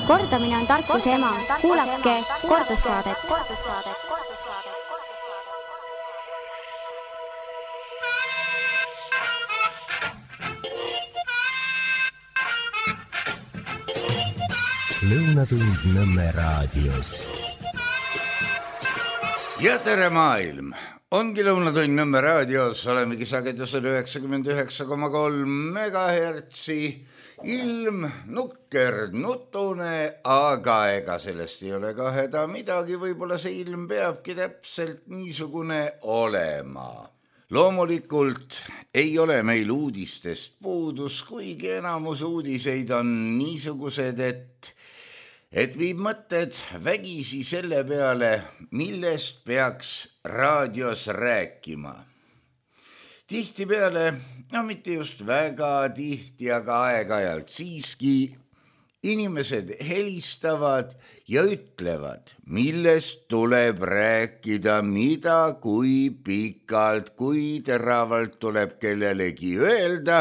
Kordamine on tarkuse ema. Kuulake kordussaadet. Lõunatund Nõmme raadios. Ja tere maailm! Ongi Lõunatund Nõmme raadios, olemegi sagedusel 99,3 megahertsi. Ilm nukker, nutune, aga ega sellest ei ole ka häda midagi, võib-olla see ilm peabki täpselt niisugune olema. Loomulikult ei ole meil uudistest puudus, kuigi enamus uudiseid on niisugused, et viib mõtted vägisi selle peale, millest peaks raadios rääkima. Tihtipeale, no mitte just väga tihti, aga aeg-ajalt siiski inimesed helistavad ja ütlevad, millest tuleb rääkida, mida, kui pikalt, kui teravalt tuleb kellelegi öelda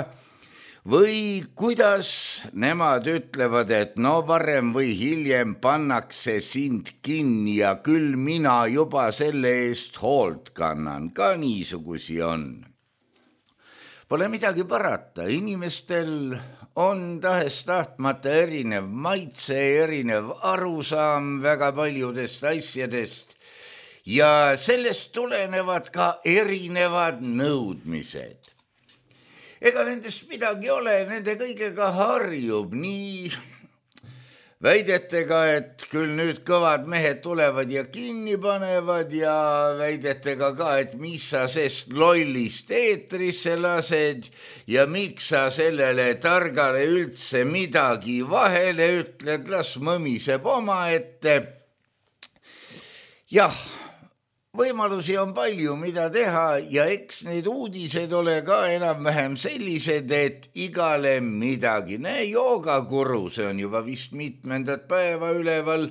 või kuidas nemad ütlevad, et no varem või hiljem pannakse sind kinni ja küll mina juba selle eest hoolt kannan, ka niisugusi on. Pole midagi parata, inimestel on tahes-tahtmata erinev maitse, erinev arusaam väga paljudest asjadest ja sellest tulenevad ka erinevad nõudmised. Ega nendest midagi ole, nende kõigega harjub nii väidetega, et küll nüüd kõvad mehed tulevad ja kinni panevad ja väidetega ka, et mis sa sest lollist eetrisse lased ja miks sa sellele targale üldse midagi vahele ütled, las mõmiseb omaette. Jah, võimalusi on palju, mida teha ja eks need uudised ole ka enam-vähem sellised, et igale midagi. Joogakuru, see on juba vist mitmendat päeva üleval,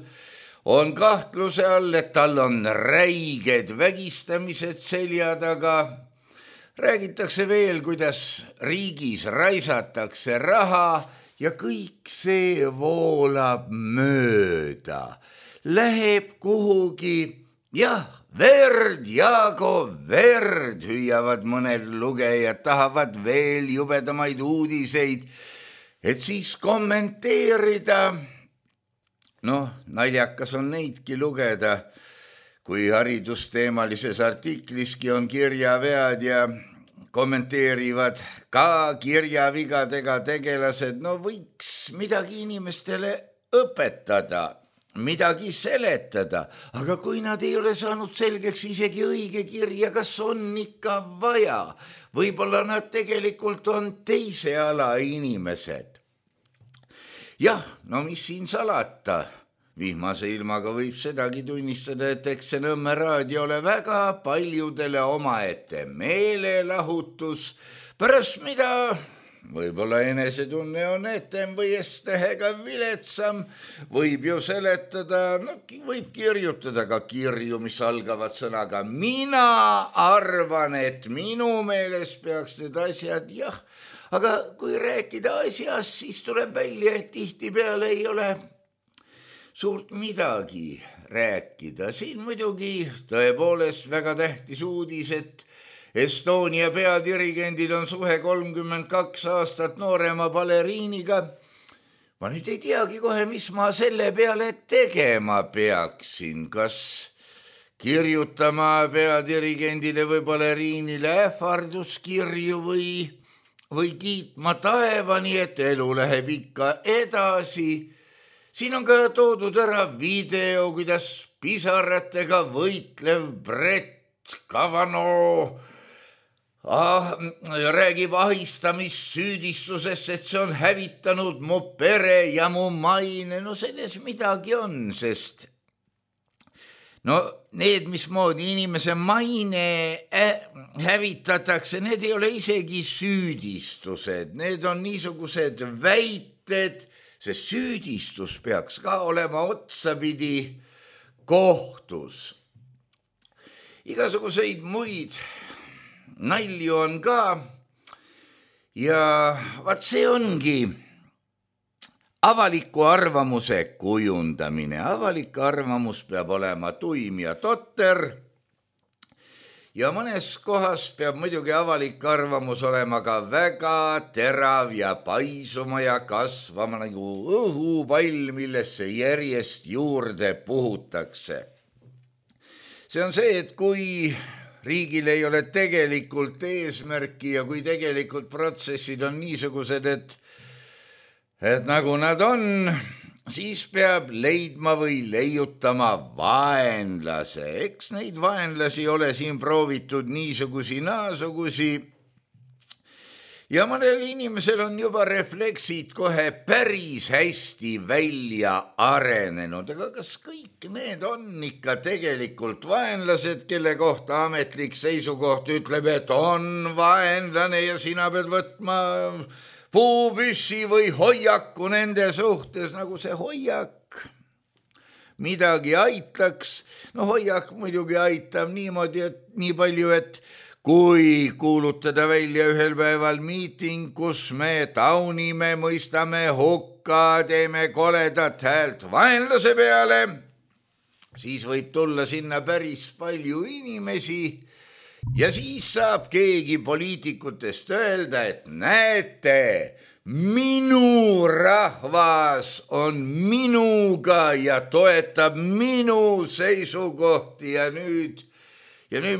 on kahtluse all, et tal on räiged vägistamised selja taga. Räägitakse veel, kuidas riigis raisatakse raha ja kõik see voolab mööda. Läheb kuhugi, jah, verd, Jaago, verd, hüüavad mõned lugejad, tahavad veel jubedamaid uudiseid, et siis kommenteerida. Naljakas on neidki lugeda, kui haridusteemalises artikliski on kirjavead ja kommenteerivad ka kirjavigadega tegelased. Võiks midagi inimestele õpetada, midagi seletada, aga kui nad ei ole saanud selgeks isegi õige kirja, kas on ikka vaja, võib-olla nad tegelikult on teise ala inimesed. Jah, mis siin salata, vihmase ilmaga võib sedagi tunnistada, et eks see Nõmme raadio ole väga paljudele omaette meelelahutus, pärast mida võib-olla enesetunne on etem või S-tähega viletsam, võib ju seletada, võib kirjutada ka kirju, mis algavad sõnaga mina arvan, et minu meelest peaks need asjad, jah, aga kui rääkida asjast, siis tuleb välja, et tihtipeale ei ole suurt midagi rääkida. Siin muidugi tõepoolest väga tähtis uudis, et Estonia peadirigendil on suhe 32 aastat noorema baleriiniga. Ma nüüd ei teagi kohe, mis ma selle peale tegema peaksin. Kas kirjutama peadirigendile või baleriinile ähvarduskirju või kiitma taevani, et elu läheb ikka edasi. Siin on ka toodud ära video, kuidas pisaratega võitlev Brett Kavanaugh räägib ahistamissüüdistusest, et see on hävitanud mu pere ja mu maine. Selles midagi on, sest need, mismoodi inimese maine hävitatakse, need ei ole isegi süüdistused, need on niisugused väited, sest süüdistus peaks ka olema otsapidi kohtus. Igasuguseid muid nalju on ka ja vaat see ongi avaliku arvamuse kujundamine. Avalik arvamus peab olema tuim ja totter ja mõnes kohas peab muidugi avalik arvamus olema ka väga terav ja paisuma ja kasvama nagu õhupall, millesse järjest juurde puhutakse. See on see, et kui riigil ei ole tegelikult eesmärki ja kui tegelikult protsessid on niisugused, et nagu nad on, siis peab leidma või leiutama vaenlase. Eks neid vaenlasi ole siin proovitud niisugusi naasugusi ja mõnel inimesel on juba refleksid kohe päris hästi välja arenenud. Aga kas kõik need on ikka tegelikult vaenlased, kelle kohta ametlik seisukoht ütleb, et on vaenlane ja sina pead võtma puupüssi või hoiaku nende suhtes, nagu see hoiak midagi aitaks. No hoiak muidugi aitab niimoodi, et nii palju, et kui kuulutada välja ühel päeval miiting, kus me taunime, mõistame hukka, teeme koledat häält vaenlase peale, siis võib tulla sinna päris palju inimesi ja siis saab keegi poliitikutest öelda, et näete, minu rahvas on minuga ja toetab minu seisukohti ja nüüd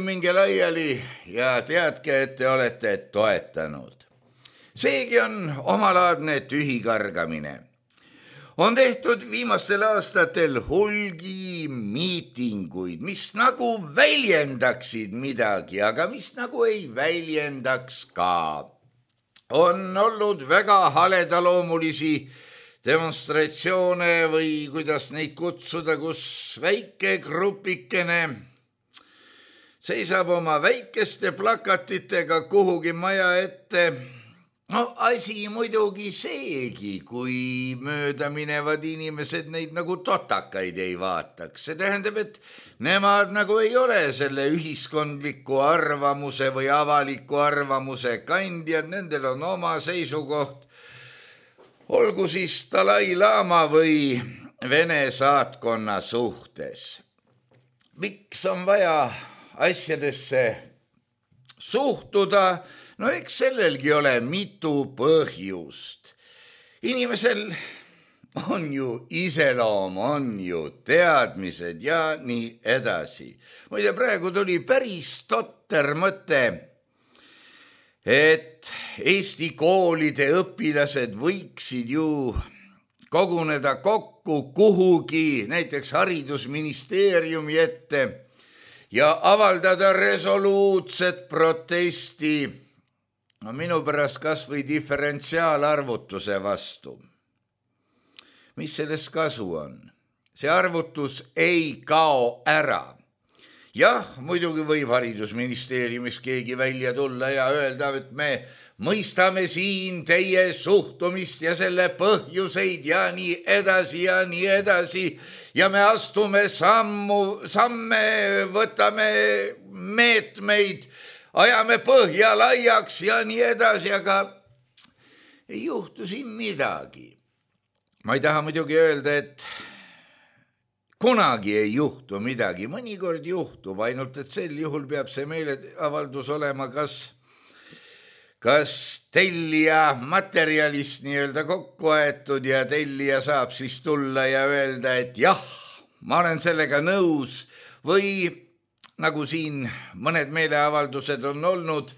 minge laiali ja teadke, et te olete toetanud. Seegi on omalaadne tühikargamine. On tehtud viimastel aastatel hulgi miitinguid, mis nagu väljendaksid midagi, aga mis nagu ei väljendaks ka. On olnud väga haledaloomulisi demonstratsioone või kuidas neid kutsuda, kus väike grupikene seisab oma väikeste plakatitega kuhugi maja ette. No asi muidugi seegi, kui mööda minevad inimesed neid nagu totakaid ei vaataks. See tähendab, et nemad nagu ei ole selle ühiskondliku arvamuse või avaliku arvamuse kandjad, nendel on oma seisukoht. Olgu siis Dalai-laama või Vene saatkonna suhtes. Miks on vaja asjadesse suhtuda? No eks sellelgi ole mitu põhjust. Inimesel on ju iseloom, on ju teadmised ja nii edasi. Muide, praegu tuli päris totter mõte, et Eesti koolide õpilased võiksid ju koguneda kokku kuhugi, näiteks haridusministeeriumi ette ja avaldada resoluutset protesti. No minu pärast kas või diferentsiaalarvutuse vastu. Mis sellest kasu on? See arvutus ei kao ära. Jah, muidugi võib haridusministeeriumis keegi välja tulla ja öelda, et me mõistame siin teie suhtumist ja selle põhjuseid ja nii edasi ja nii edasi ja me astume samme, võtame meetmeid, ajame põhja laiaks ja nii edasi, aga ei juhtu siin midagi. Ma ei taha muidugi öelda, et kunagi ei juhtu midagi, mõnikord juhtub, ainult et sel juhul peab see meeleavaldus olema kas tellija materjalist nii-öelda kokku aetud ja tellija saab siis tulla ja öelda, et jah, ma olen sellega nõus või nagu siin mõned meeleavaldused on olnud,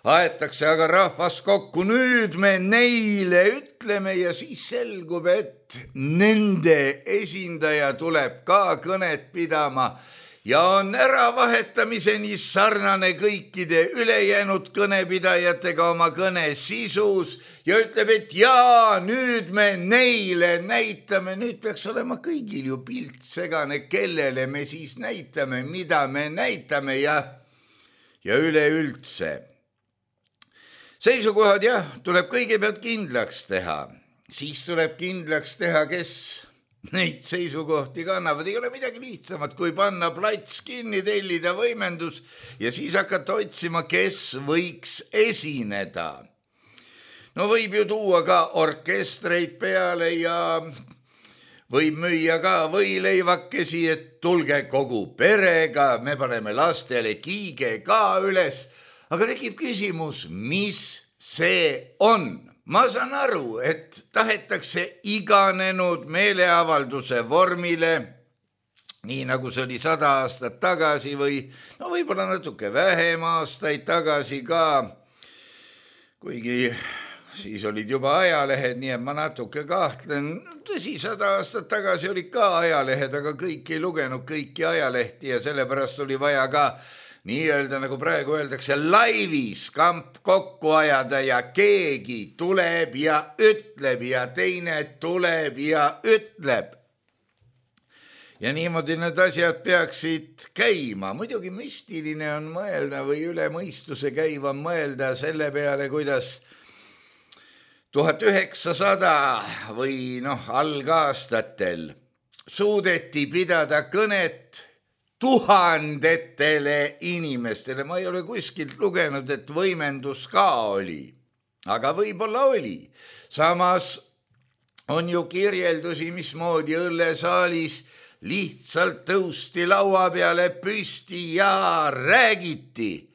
aetakse aga rahvas kokku, nüüd me neile ütleme ja siis selgub, et nende esindaja tuleb ka kõnet pidama ja on äravahetamiseni sarnane kõikide ülejäänud kõnepidajatega oma kõne sisus ja ütleb, et jaa, nüüd me neile näitame, nüüd peaks olema kõigil ju pilt segane, kellele me siis näitame, mida me näitame ja üleüldse. Seisukohad jah, tuleb kõigepealt kindlaks teha, siis tuleb kindlaks teha, kes neid seisukohti kannavad. Ei ole midagi lihtsamat, kui panna plats kinni, tellida võimendus ja siis hakata otsima, kes võiks esineda. No võib ju tuua ka orkestreid peale ja võib müüa ka võileivakesi, et tulge kogu perega, me paneme lastele kiige ka üles. Aga tekib küsimus, mis see on? Ma saan aru, et tahetakse iganenud meeleavalduse vormile, nii nagu see oli 100 aastat tagasi või no võib-olla natuke vähem aastaid tagasi ka, kuigi siis olid juba ajalehed, nii et ma natuke kahtlen. Tõsi, 100 aastat tagasi olid ka ajalehed, aga kõik ei lugenud kõiki ajalehti ja sellepärast oli vaja ka nii-öelda, nagu praegu öeldakse, laivis kamp kokku ajada ja keegi tuleb ja ütleb ja teine tuleb ja ütleb. Ja niimoodi need asjad peaksid käima. Muidugi müstiline on mõelda või üle mõistuse käiva mõelda selle peale, kuidas 1900 või algaastatel suudeti pidada kõnet tuhandetele inimestele. Ma ei ole kuskilt lugenud, et võimendus ka oli, aga võib-olla oli. Samas on ju kirjeldusi, mismoodi õllesaalis lihtsalt tõusti laua peale püsti ja räägiti.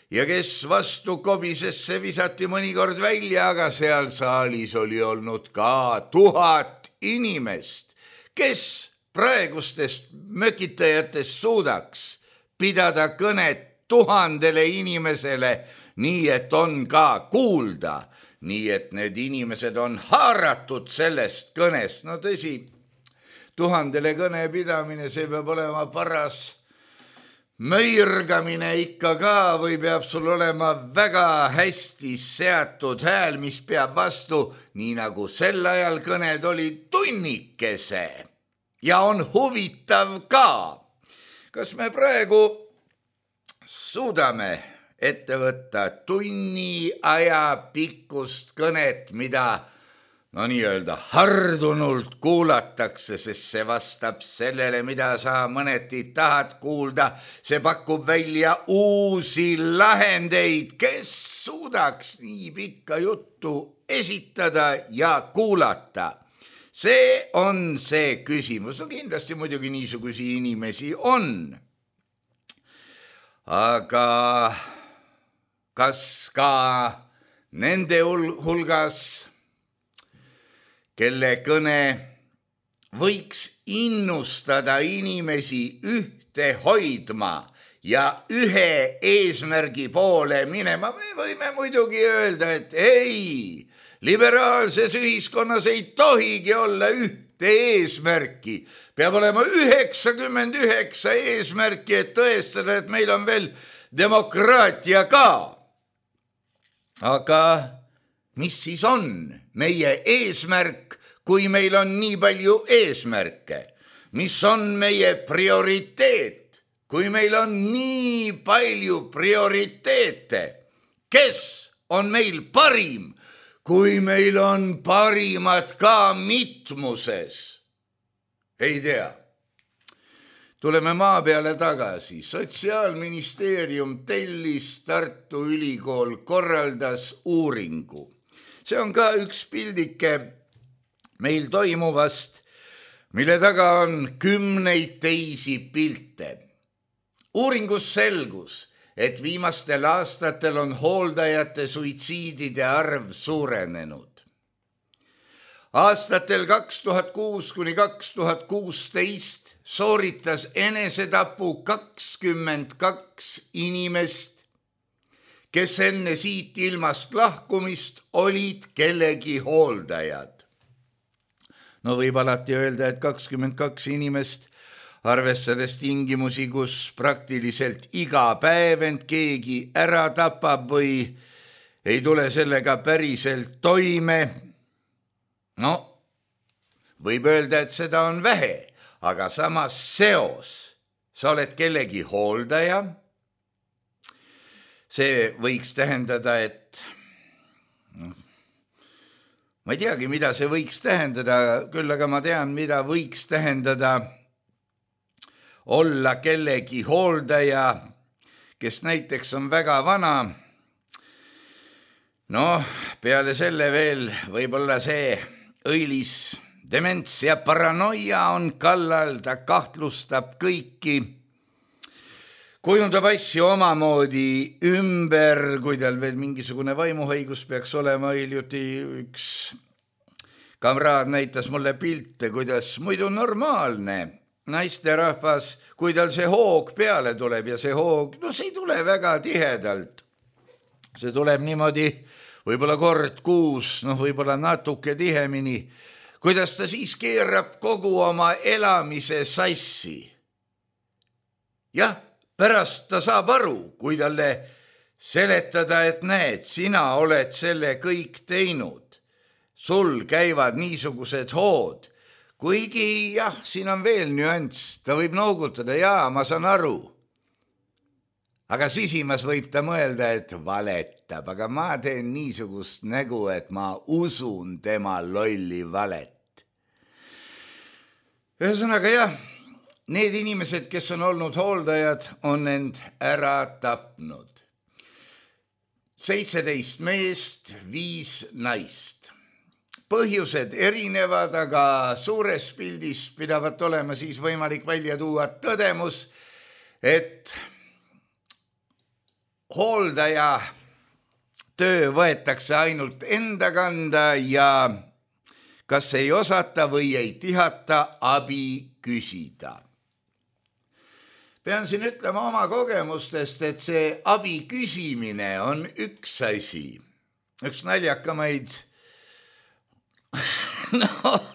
Ja kes vastu kobisesse visati mõnikord välja, aga seal saalis oli olnud ka 1000 inimest, kes praegustest mökitajatest suudaks pidada kõnet 1000 inimesele, nii et on ka kuulda, nii et need inimesed on haaratud sellest kõnest. No tõsi, 1000 kõne pidamine, see peab olema paras möirgamine ikka ka või peab sul olema väga hästi seatud hääl, mis peab vastu, nii nagu sel ajal kõned oli tunnikese. Ja on huvitav ka, kas me praegu suudame ette võtta tunni aja pikkust kõnet, mida nii-öelda hardunult kuulatakse, sest see vastab sellele, mida sa mõneti tahad kuulda. See pakub välja uusi lahendeid, kes suudaks nii pikka juttu esitada ja kuulata. See on see küsimus. No kindlasti muidugi niisugusi inimesi on. Aga kas ka nende hulgas, kelle kõne võiks innustada inimesi ühte hoidma ja ühe eesmärgi poole minema, me võime muidugi öelda, et ei, liberaalses ühiskonnas ei tohigi olla ühte eesmärki. Peab olema 99 eesmärki, et tõestada, et meil on veel demokraatia ka. Aga mis siis on meie eesmärk, kui meil on nii palju eesmärke? Mis on meie prioriteet, kui meil on nii palju prioriteete? Kes on meil parim, kui meil on parimad ka mitmuses? Ei tea. Tuleme maa peale tagasi. Sotsiaalministeerium tellis, Tartu Ülikool korraldas uuringu. See on ka üks pildike meil toimuvast, mille taga on 10 teisi pilte. Uuringus selgus, et viimastel aastatel on hooldajate suitsiidide arv suurenenud. Aastatel 2006–2016 sooritas enesetapu 22 inimest, kes enne siit ilmast lahkumist olid kellegi hooldajad. No võib alati öelda, et 22 inimest, arvestades tingimusi, kus praktiliselt iga päev end keegi ära tapab või ei tule sellega päriselt toime. No, võib öelda, et seda on vähe, aga samas seos. Sa oled kellegi hooldaja. See võiks tähendada, et ma ei teagi, mida see võiks tähendada, küll aga ma tean, mida võiks tähendada olla kellegi hooldaja, kes näiteks on väga vana. peale selle veel võib-olla see õilis dements ja paranoia on kallal, ta kahtlustab kõiki, kujundab asju omamoodi ümber, kui tal veel mingisugune vaimuhaigus peaks olema. Hiljuti üks kamraad näitas mulle pilte, kuidas muidu normaalne naisterahvas, kui tal see hoog peale tuleb ja see hoog, see ei tule väga tihedalt. See tuleb niimoodi võib-olla kord kuus, võib-olla natuke tihemini, kuidas ta siis keerab kogu oma elamise sassi. Jah, pärast ta saab aru, kui talle seletada, et näed, sina oled selle kõik teinud. Sul käivad niisugused hood. Kuigi jah, siin on veel nüanss, ta võib noogutada, jaa, ma saan aru. Aga sisimas võib ta mõelda, et valetab, aga ma teen niisugust nägu, et ma usun tema lolli valet. Ühesõnaga jah, need inimesed, kes on olnud hooldajad, on end ära tapnud. 17 meest, 5 naist. Põhjused erinevad, aga suures pildis pidavat olema siis võimalik välja tuua tõdemus, et hooldaja töö võetakse ainult enda kanda ja kas ei osata või ei tihata abi küsida. Pean siin ütlema oma kogemustest, et see abi küsimine on üks asi. Üks naljakamaid,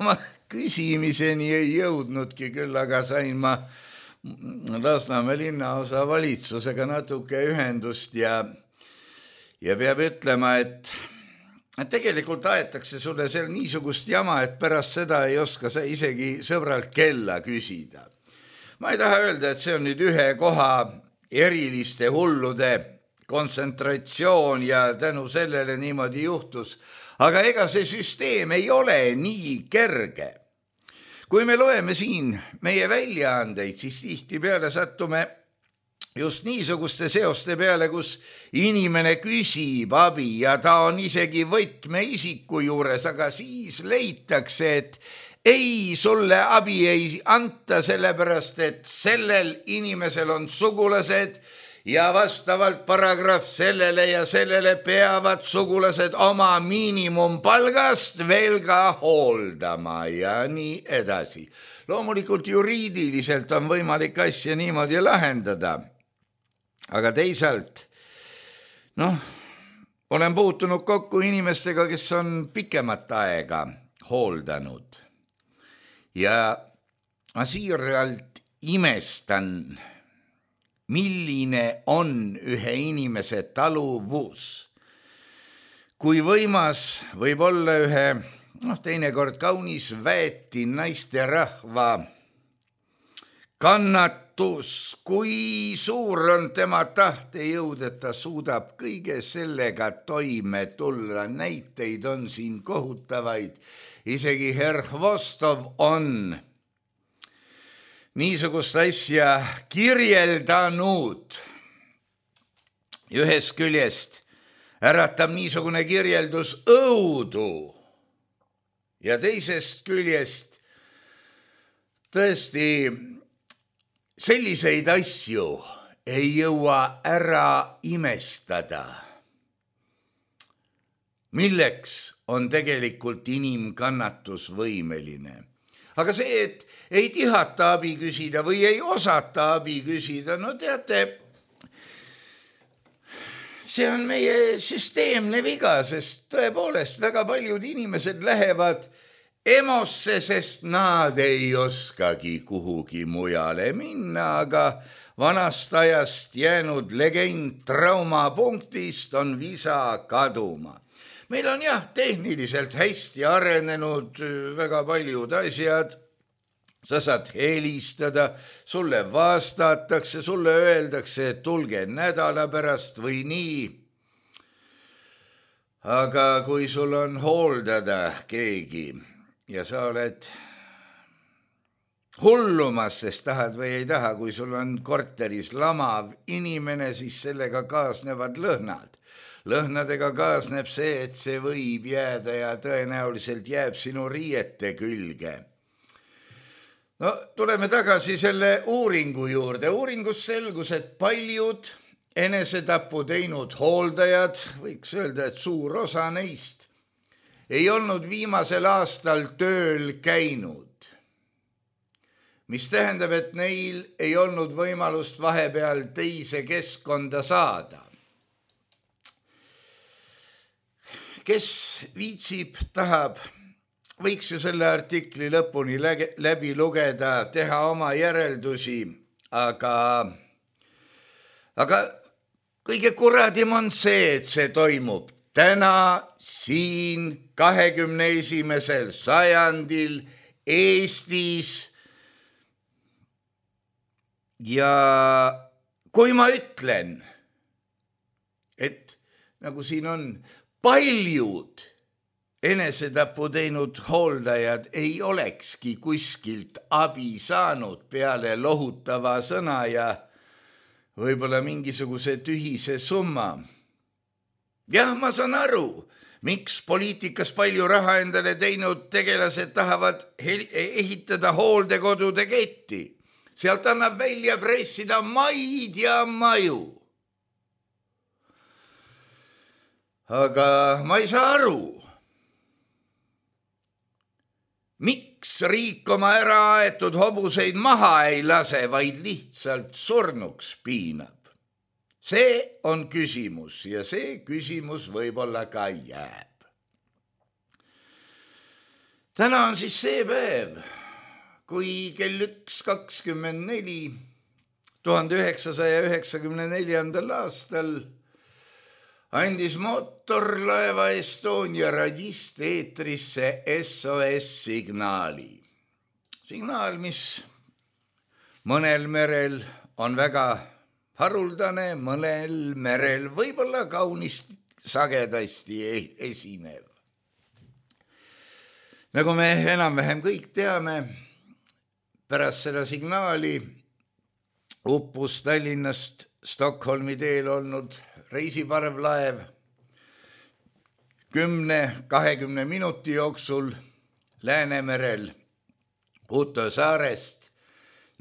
ma küsimiseni ei jõudnudki küll, aga sain ma Lasnamäe linnaosa valitsusega natuke ühendust ja peab ütlema, et tegelikult aetakse sulle seal niisugust jama, et pärast seda ei oska sa isegi sõbralt kella küsida. Ma ei taha öelda, et see on nüüd ühe koha eriliste hullude kontsentratsioon ja tänu sellele niimoodi juhtus, aga ega see süsteem ei ole nii kerge. Kui me loeme siin meie väljaandeid, siis tihtipeale sattume just niisuguste seoste peale, kus inimene küsib abi ja ta on isegi võtmeisiku juures, aga siis leitakse, et ei, sulle abi ei anta sellepärast, et sellel inimesel on sugulased ja vastavalt paragrahv sellele ja sellele peavad sugulased oma miinimumpalgast veel ka hooldama ja nii edasi. Loomulikult juriidiliselt on võimalik asja niimoodi lahendada, aga teisalt, olen puutunud kokku inimestega, kes on pikemat aega hooldanud ja ma siiralt imestan, milline on ühe inimese taluvus. Kui võimas võib olla ühe, teinekord kaunis väeti naisterahva kannatus, kui suur on tema tahtejõud, et ta suudab kõige sellega toime tulla. Näiteid on siin kohutavaid. Isegi herr Vostov on niisugust asja kirjeldanud. Ühest küljest äratab niisugune kirjeldus õudu ja teisest küljest tõesti selliseid asju ei jõua ära imestada. Milleks on tegelikult inimkannatus võimeline? Aga see, et ei tihata abi küsida või ei osata abi küsida, teate, see on meie süsteemne viga, sest tõepoolest väga paljud inimesed lähevad emosse, sest nad ei oskagi kuhugi mujale minna, aga vanast ajast jäänud legend traumapunktist on visa kaduma. Meil on jah, tehniliselt hästi arenenud väga paljud asjad. Sa saad helistada, sulle vastatakse, sulle öeldakse, et tulge nädala pärast või nii. Aga kui sul on hooldada keegi ja sa oled hullumas, sest tahad või ei taha, kui sul on korteris lamav inimene, siis sellega kaasnevad lõhnad. lõhnadega kaasneb see, et see võib jääda ja tõenäoliselt jääb sinu riiete külge. No tuleme tagasi selle uuringu juurde. Uuringus selgus, et paljud enesetapu teinud hooldajad, võiks öelda, et suur osa neist, ei olnud viimasel aastal tööl käinud, mis tähendab, et neil ei olnud võimalust vahepeal teise keskkonda saada. Kes viitsib, tahab, võiks ju selle artikli lõpuni läbi lugeda, teha oma järeldusi, aga kõige kuradim on see, et see toimub täna siin 21. sajandil Eestis. Ja kui ma ütlen, et nagu siin on, paljud enesetapu teinud hooldajad ei olekski kuskilt abi saanud peale lohutava sõna ja võib-olla mingisuguse tühise summa. Jah, ma saan aru, miks poliitikas palju raha endale teinud tegelased tahavad ehitada hooldekodude ketti. Sealt annab välja pressida maid ja maju. Aga ma ei saa aru, miks riik oma äraaetud hobuseid maha ei lase, vaid lihtsalt surnuks piinab. See on küsimus ja see küsimus võib-olla ka jääb. Täna on siis see päev, kui kell 1:24 1994. aastal andis mootorlaeva Estonia radist eetrisse SOS-signaali. Signaal, mis mõnel merel on väga haruldane, mõnel merel võib-olla kaunist sagedasti esinev. Nagu me enam-vähem kõik teame, pärast seda signaali uppus Tallinnast Stockholmi teel olnud reisiparvlaev 10-20 minuti jooksul Läänemerel Uto saarest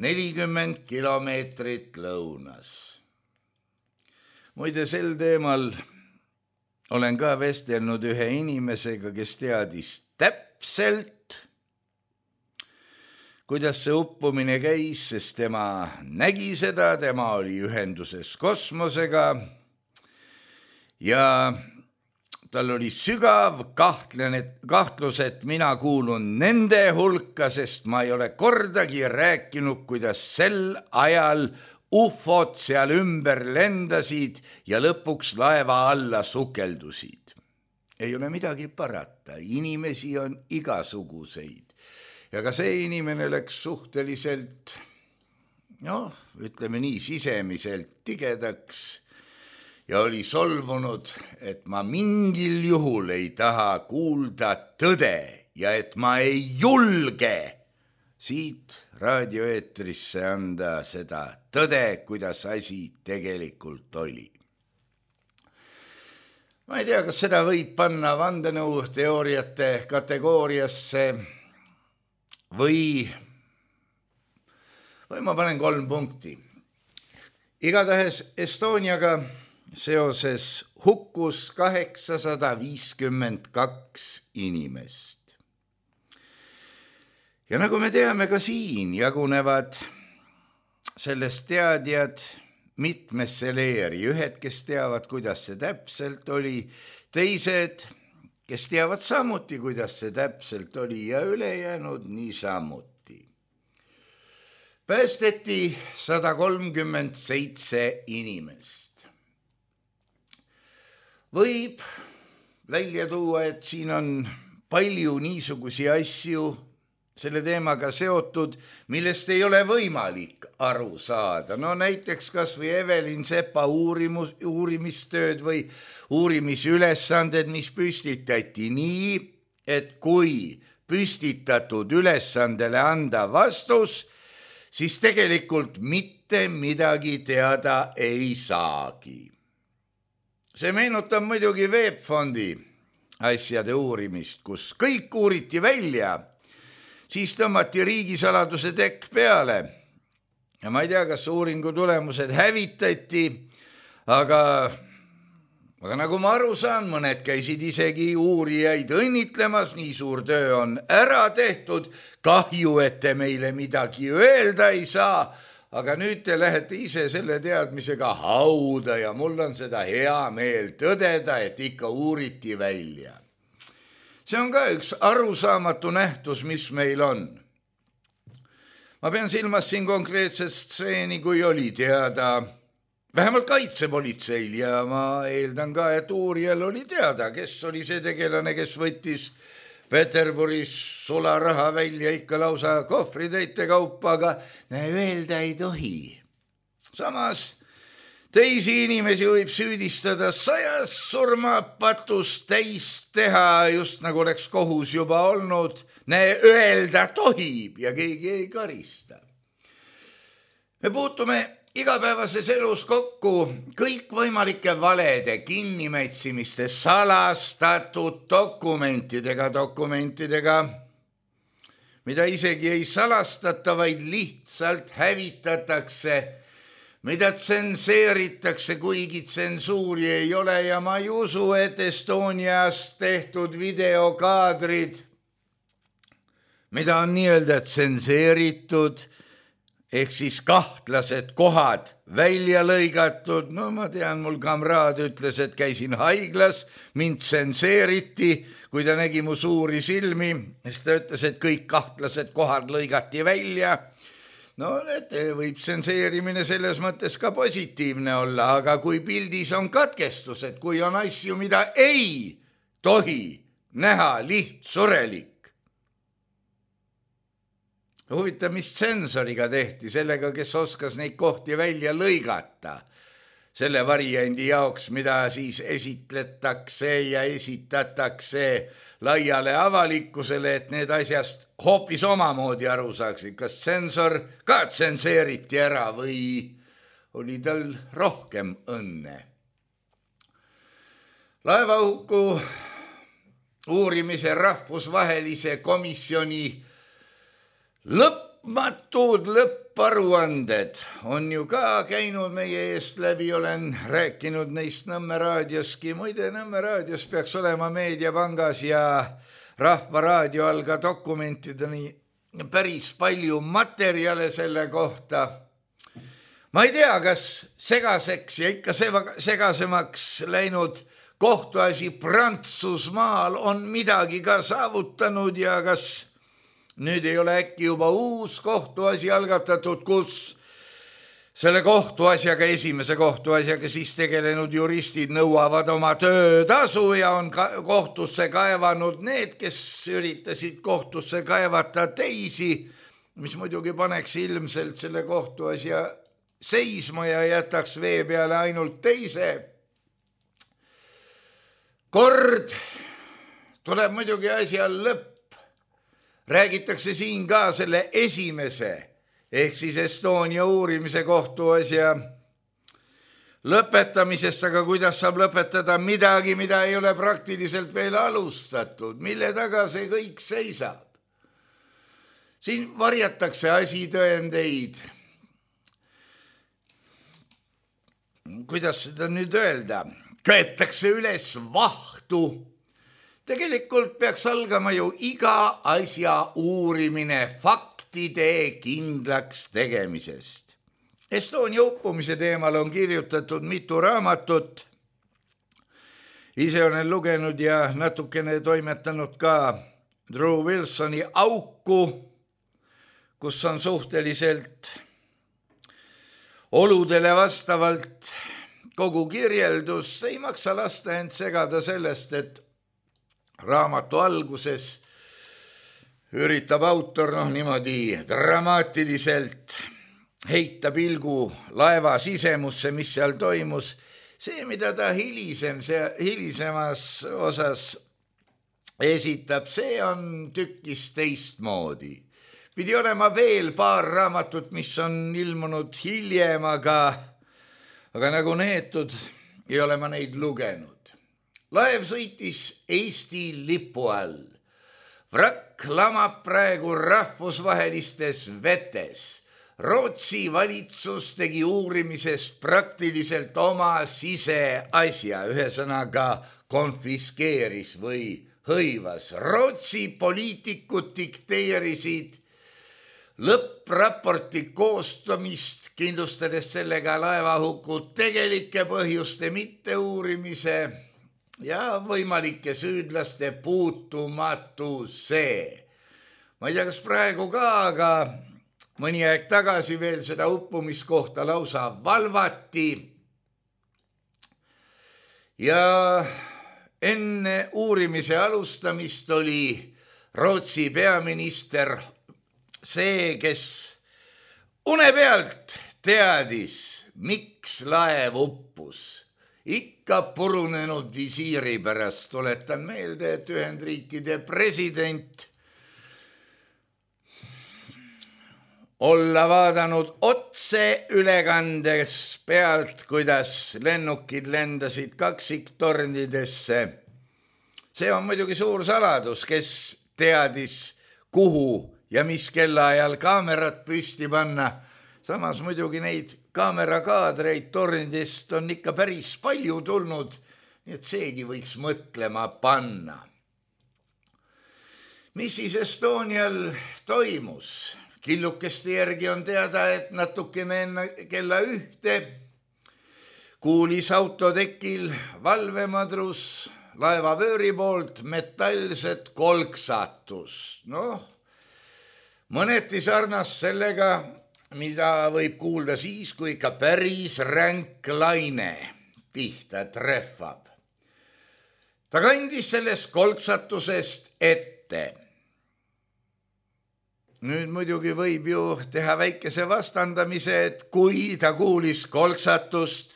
40 kilomeetrit lõunas. Muide, sel teemal olen ka vestelnud ühe inimesega, kes teadis täpselt, kuidas see uppumine käis, sest tema nägi seda, tema oli ühenduses kosmosega ja tal oli sügav kahtlus, et mina kuulun nende hulka, sest ma ei ole kordagi rääkinud, kuidas sel ajal ufod seal ümber lendasid ja lõpuks laeva alla sukeldusid. Ei ole midagi parata, inimesi on igasuguseid. Ja ka see inimene läks suhteliselt, ütleme nii, sisemiselt tigedaks ja oli solvunud, et ma mingil juhul ei taha kuulda tõde ja et ma ei julge siit raadioeetrisse anda seda tõde, kuidas asi tegelikult oli. Ma ei tea, kas seda võib panna vandenõuteooriate kategooriasse või ma panen 3 punkti. Igatahes Estoniaga seoses hukkus 852 inimest. Ja nagu me teame, ka siin jagunevad sellest teadjad mitmesse leeri. Ühed, kes teavad, kuidas see täpselt oli, teised, kes teavad samuti, kuidas see täpselt oli ja ülejäänud niisamuti. Päästeti 137 inimest. Võib välja tuua, et siin on palju niisugusi asju selle teemaga seotud, millest ei ole võimalik aru saada. No näiteks kas või Evelin Sepa uurimistööd või uurimisülesanded, mis püstitati nii, et kui püstitatud ülesandele anda vastus, siis tegelikult mitte midagi teada ei saagi. see meenutab muidugi VEB Fondi asjade uurimist, kus kõik uuriti välja, siis tõmmati riigisaladuse tekk peale. Ja ma ei tea, kas uuringu tulemused hävitati, aga nagu ma aru saan, mõned käisid isegi uurijaid õnnitlemas, nii suur töö on ära tehtud, kahju, et te meile midagi öelda ei saa, aga nüüd te lähete ise selle teadmisega hauda ja mul on seda hea meel tõdeda, et ikka uuriti välja. See on ka üks arusaamatu nähtus, mis meil on. Ma pean silmas siin konkreetset stseeni, kui oli teada vähemalt kaitsepolitseil ja ma eeldan ka, et uurijal oli teada, kes oli see tegelane, kes võttis Peterburis sularaha välja ikka lausa kohvritäite kaupa, aga öelda ei tohi. Samas teisi inimesi võib süüdistada 100 surmapatust täis teha, just nagu oleks kohus juba olnud, öelda tohib ja keegi ei karista. Me puutume igapäevases elus kokku kõikvõimalike valede, kinnimätsimiste, salastatud dokumentidega, mida isegi ei salastata, vaid lihtsalt hävitatakse, mida tsenseeritakse, kuigi tsensuuri ei ole ja ma ei usu, et Estonias tehtud videokaadrid, mida on nii-öelda tsenseeritud, ehk siis kahtlased kohad välja lõigatud, no ma tean, mul kamraad ütles, et käisin haiglas, mind tsenseeriti, kui ta nägi mu suuri silmi, siis ta ütles, et kõik kahtlased kohad lõigati välja. No võib tsenseerimine selles mõttes ka positiivne olla, aga kui pildis on katkestused, kui on asju, mida ei tohi näha lihtsurelik. Huvitav, mis tsensoriga tehti, sellega, kes oskas neid kohti välja lõigata, selle variandi jaoks, mida siis esitletakse ja esitatakse laiale avalikkusele, et need asjast hoopis omamoodi aru saaksid. Kas tsensor ka tsenseeriti ära või oli tal rohkem õnne? Laevahuku uurimise rahvusvahelise komisjoni lõpmatud lõpparuanded on ju ka käinud meie eest läbi, olen rääkinud neist Nõmme raadioski. Muide, Nõmme raadios peaks olema Meediapangas ja Rahvaraadio all ka dokumentideni päris palju materjale selle kohta. Ma ei tea, kas segaseks ja ikka segasemaks läinud kohtuasi Prantsusmaal on midagi ka saavutanud ja kas nüüd ei ole äkki juba uus kohtuasi algatatud, kus selle kohtuasjaga, esimese kohtuasjaga siis tegelenud juristid nõuavad oma töötasu ja on kohtusse kaevanud need, kes üritasid kohtusse kaevata teisi, mis muidugi paneks ilmselt selle kohtuasja seisma ja jätaks vee peale ainult teise. Kord tuleb muidugi asja lõpp. Räägitakse siin ka selle esimese, ehk siis Estonia uurimise kohtuasja lõpetamisest, aga kuidas saab lõpetada midagi, mida ei ole praktiliselt veel alustatud, mille taga see kõik seisab. Siin varjatakse asitõendeid. Kuidas seda nüüd öelda? Köetakse üles vahtu. Tegelikult peaks algama ju iga asja uurimine faktide kindlaks tegemisest. Estonia uppumise teemal on kirjutatud mitu raamatut. Ise olen lugenud ja natukene toimetanud ka Drew Wilsoni Auku, kus on suhteliselt oludele vastavalt kogu kirjeldus. Ei maksa lasta end segada sellest, et raamatu alguses üritab autor niimoodi dramaatiliselt heita pilgu laeva sisemusse, mis seal toimus. See, mida ta hilisemas osas esitab, see on tükkis teistmoodi. Pidi olema veel paar raamatut, mis on ilmunud hiljem, aga nagu neetud ei ole ma neid lugenud. Laev sõitis Eesti lipu all. Vrakk lamab praegu rahvusvahelistes vetes. Rootsi valitsus tegi uurimisest praktiliselt oma siseasja, ühesõnaga konfiskeeris või hõivas. Rootsi poliitikud dikteerisid lõppraporti koostamist, kindlustades sellega laevahuku tegelike põhjuste mitteuurimise ja võimalike süüdlaste puutumatuse. Ma ei tea, kas praegu ka, aga mõni aeg tagasi veel seda uppumiskohta lausa valvati. Ja enne uurimise alustamist oli Rootsi peaminister see, kes une pealt teadis, miks laev uppus. Ikka purunenud visiiri pärast. Tuletan meelde, et Ühendriikide president olla vaadanud otse ülekandes pealt, kuidas lennukid lendasid kaksiktornidesse. See on muidugi suur saladus, kes teadis, kuhu ja mis kellaajal kaamerat püsti panna. Samas muidugi neid kaamerakaadreid tornidest on ikka päris palju tulnud, nii et seegi võiks mõtlema panna. Mis siis Estonial toimus? Killukeste järgi on teada, et natukene enne kella 1 kuulis autotekil valvemadrus laevavööri poolt metallset kolksatust. Mõneti sarnas sellega, mida võib kuulda siis, kui ikka päris ränk laine pihta trehvab. Ta kandis sellest kolksatusest ette. Nüüd muidugi võib ju teha väikese vastandamise, et kui ta kuulis kolksatust,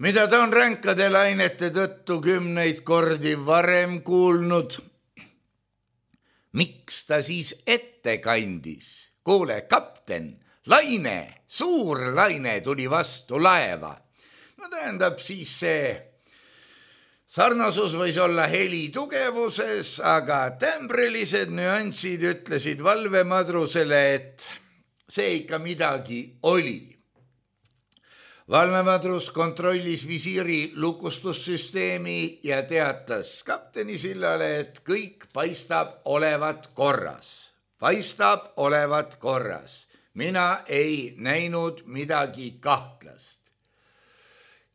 mida ta on ränkade lainete tõttu 10 kordi varem kuulnud, miks ta siis ette kandis? Kuule, kapten, laine, suur laine tuli vastu laeva. No tähendab siis see sarnasus võis olla heli tugevuses, aga tämbrilised nüansid ütlesid valvemadrusele, et see ikka midagi oli. Valvemadrus kontrollis visiiri lukustussüsteemi ja teatas kapteni sillale, et kõik paistab olevat korras. Paistab olevat korras. Mina ei näinud midagi kahtlast.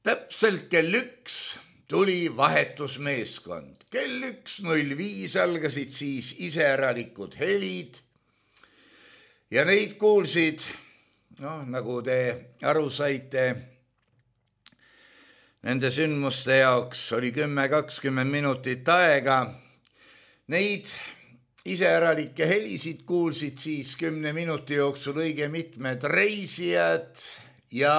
Täpselt kell 1 tuli vahetusmeeskond. Kell 1:05 algasid siis iseäralikud helid ja neid kuulsid, nagu te aru saite, nende sündmuste jaoks oli 10-20 minutit aega. Neid iseäralikke helisid kuulsid siis 10 minuti jooksul õige mitmed reisijad ja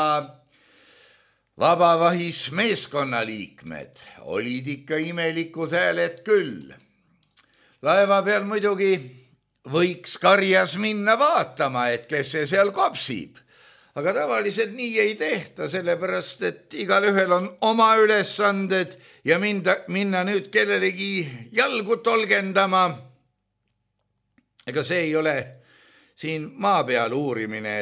vabavahis meeskonnaliikmed. Olid ikka imelikud hääled küll. Laeva peal muidugi võiks karjas minna vaatama, et kes see seal kopsib. Aga tavaliselt nii ei tehta, sellepärast, et igal ühel on oma ülesanded ja minna nüüd kellelegi jalgu tolgendama. Ega see ei ole siin maa peal uurimine,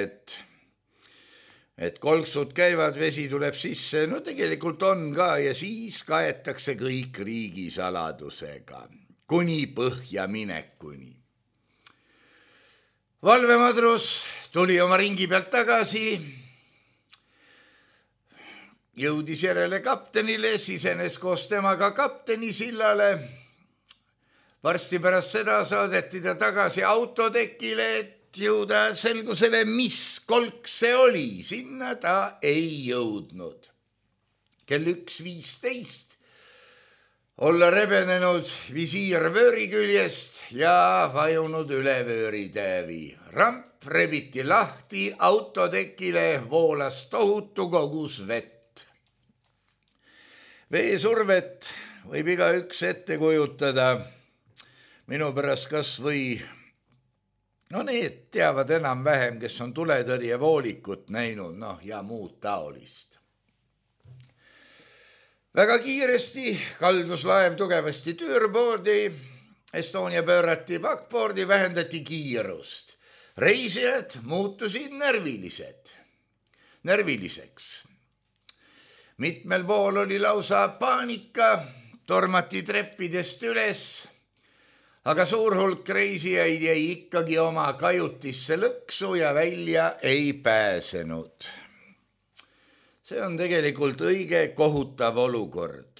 et kolksud käivad, vesi tuleb sisse. No tegelikult on ka ja siis kaetakse kõik riigisaladusega, kuni põhja minekuni. Valvemadrus tuli oma ringi pealt tagasi, jõudis järele kaptenile, sisenes koos temaga kapteni sillale. Varsti pärast seda saadeti ta tagasi autotekile, et jõuda selgusele, mis kolk see oli. Sinna ta ei jõudnud. Kell 1:15 olla rebenenud visiir vööri küljest ja vajunud üle vööritäävi. Ramp rebiti lahti, autotekile voolas tohutu kogus vett. Veesurvet võib igaüks ette kujutada. Minu pärast kas või, need teavad enam-vähem, kes on tuletõrjevoolikut näinud, ja muud taolist. Väga kiiresti kaldus laev tugevasti türboordi, Estonia pöörati backboardi, vähendati kiirust. Reisijad muutusid närviliseks. Mitmel pool oli lausa paanika, tormati treppidest üles, aga suur hulk reisijaid jäi ikkagi oma kajutisse lõksu ja välja ei pääsenud. See on tegelikult õige kohutav olukord.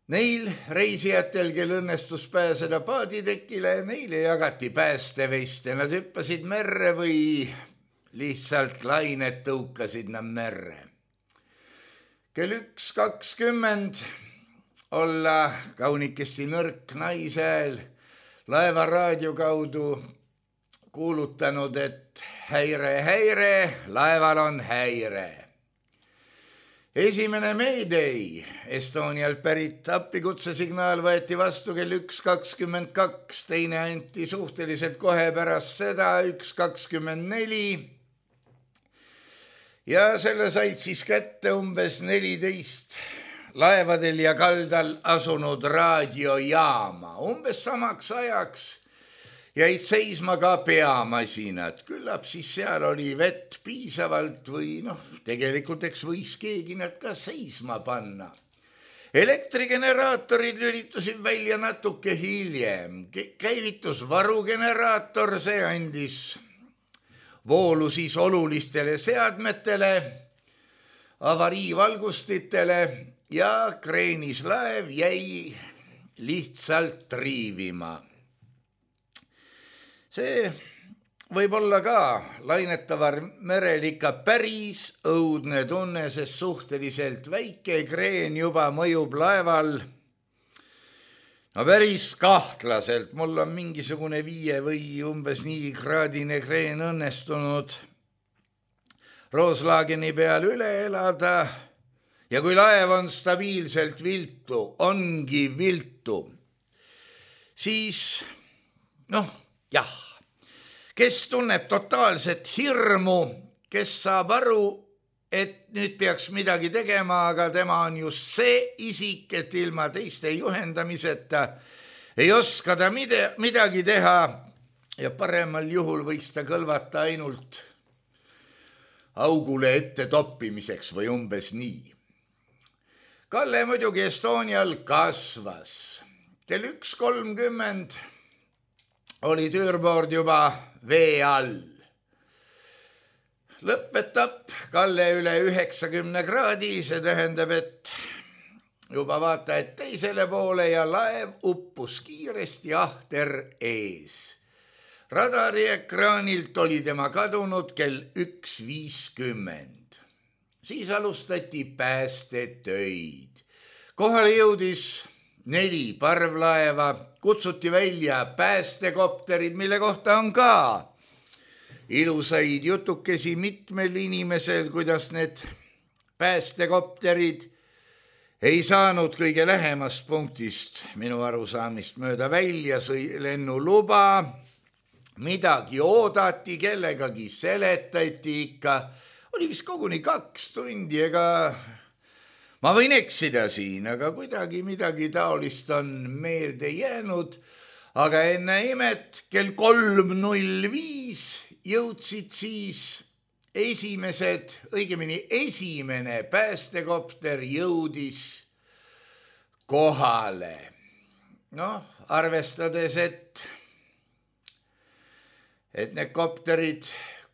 Neil reisijatel, kel õnnestus pääseda paaditekile, neile jagati päästeveste. Nad hüppasid merre või lihtsalt lained tõukasid nad merre. Kell 1:20 olla kaunikesti nõrk naishääl laeva raadio kaudu kuulutanud, et häire, laeval on häire. Esimene Mayday Estonial pärit appikutsesignaal võeti vastu kell 1:22, teine anti suhteliselt kohe pärast seda 1:24 ja selle said siis kätte umbes 14 laevadel ja kaldal asunud raadiojaama. Umbes samaks ajaks jäid seisma ka peamasinad. Küllap siis seal oli vett piisavalt või tegelikult eks võis keegi nad ka seisma panna. Elektrigeneraatorid lülitusid välja natuke hiljem. Käivitus varugeneraator, see andis voolu siis olulistele seadmetele, avariivalgustitele ja kreenis laev jäi lihtsalt triivima. See võib olla ka lainetavar merel ikka päris õudne tunne, sest suhteliselt väike kreen juba mõjub laeval. Päris kahtlaselt, mul on mingisugune 5 või umbes nii kraadine kreen õnnestunud Roslageni peal üle elada. Ja kui laev on stabiilselt viltu, ongi viltu, siis jah, kes tunneb totaalset hirmu, kes saab aru, et nüüd peaks midagi tegema, aga tema on just see isik, et ilma teiste juhendamiseta ei oska ta midagi teha ja paremal juhul võiks ta kõlvata ainult augule ette toppimiseks või umbes nii. Kalle muidugi Estonial kasvas. Kell 1:30 oli türboord juba vee all. Lõppetapp Kalle üle 90 kraadi, see tähendab, et juba vaata, et teisele poole ja laev uppus kiiresti ahter ees. Radariekraanilt oli tema kadunud kell 1:50. Siis alustati päästetöid. Kohale jõudis 4 parvlaeva, kutsuti välja päästekopterid, mille kohta on ka ilusaid jutukesi mitmel inimesel, kuidas need päästekopterid ei saanud kõige lähemast punktist minu arusaamist mööda välja, sõi lennuluba, midagi oodati, kellegagi seletati ikka. Oli vist koguni 2 tundi, ega ma võin eksida siin, aga kuidagi midagi taolist on meelde jäänud. Aga enne imet kell 3:05 jõudsid siis esimene päästekopter jõudis kohale. Arvestades, et need kopterid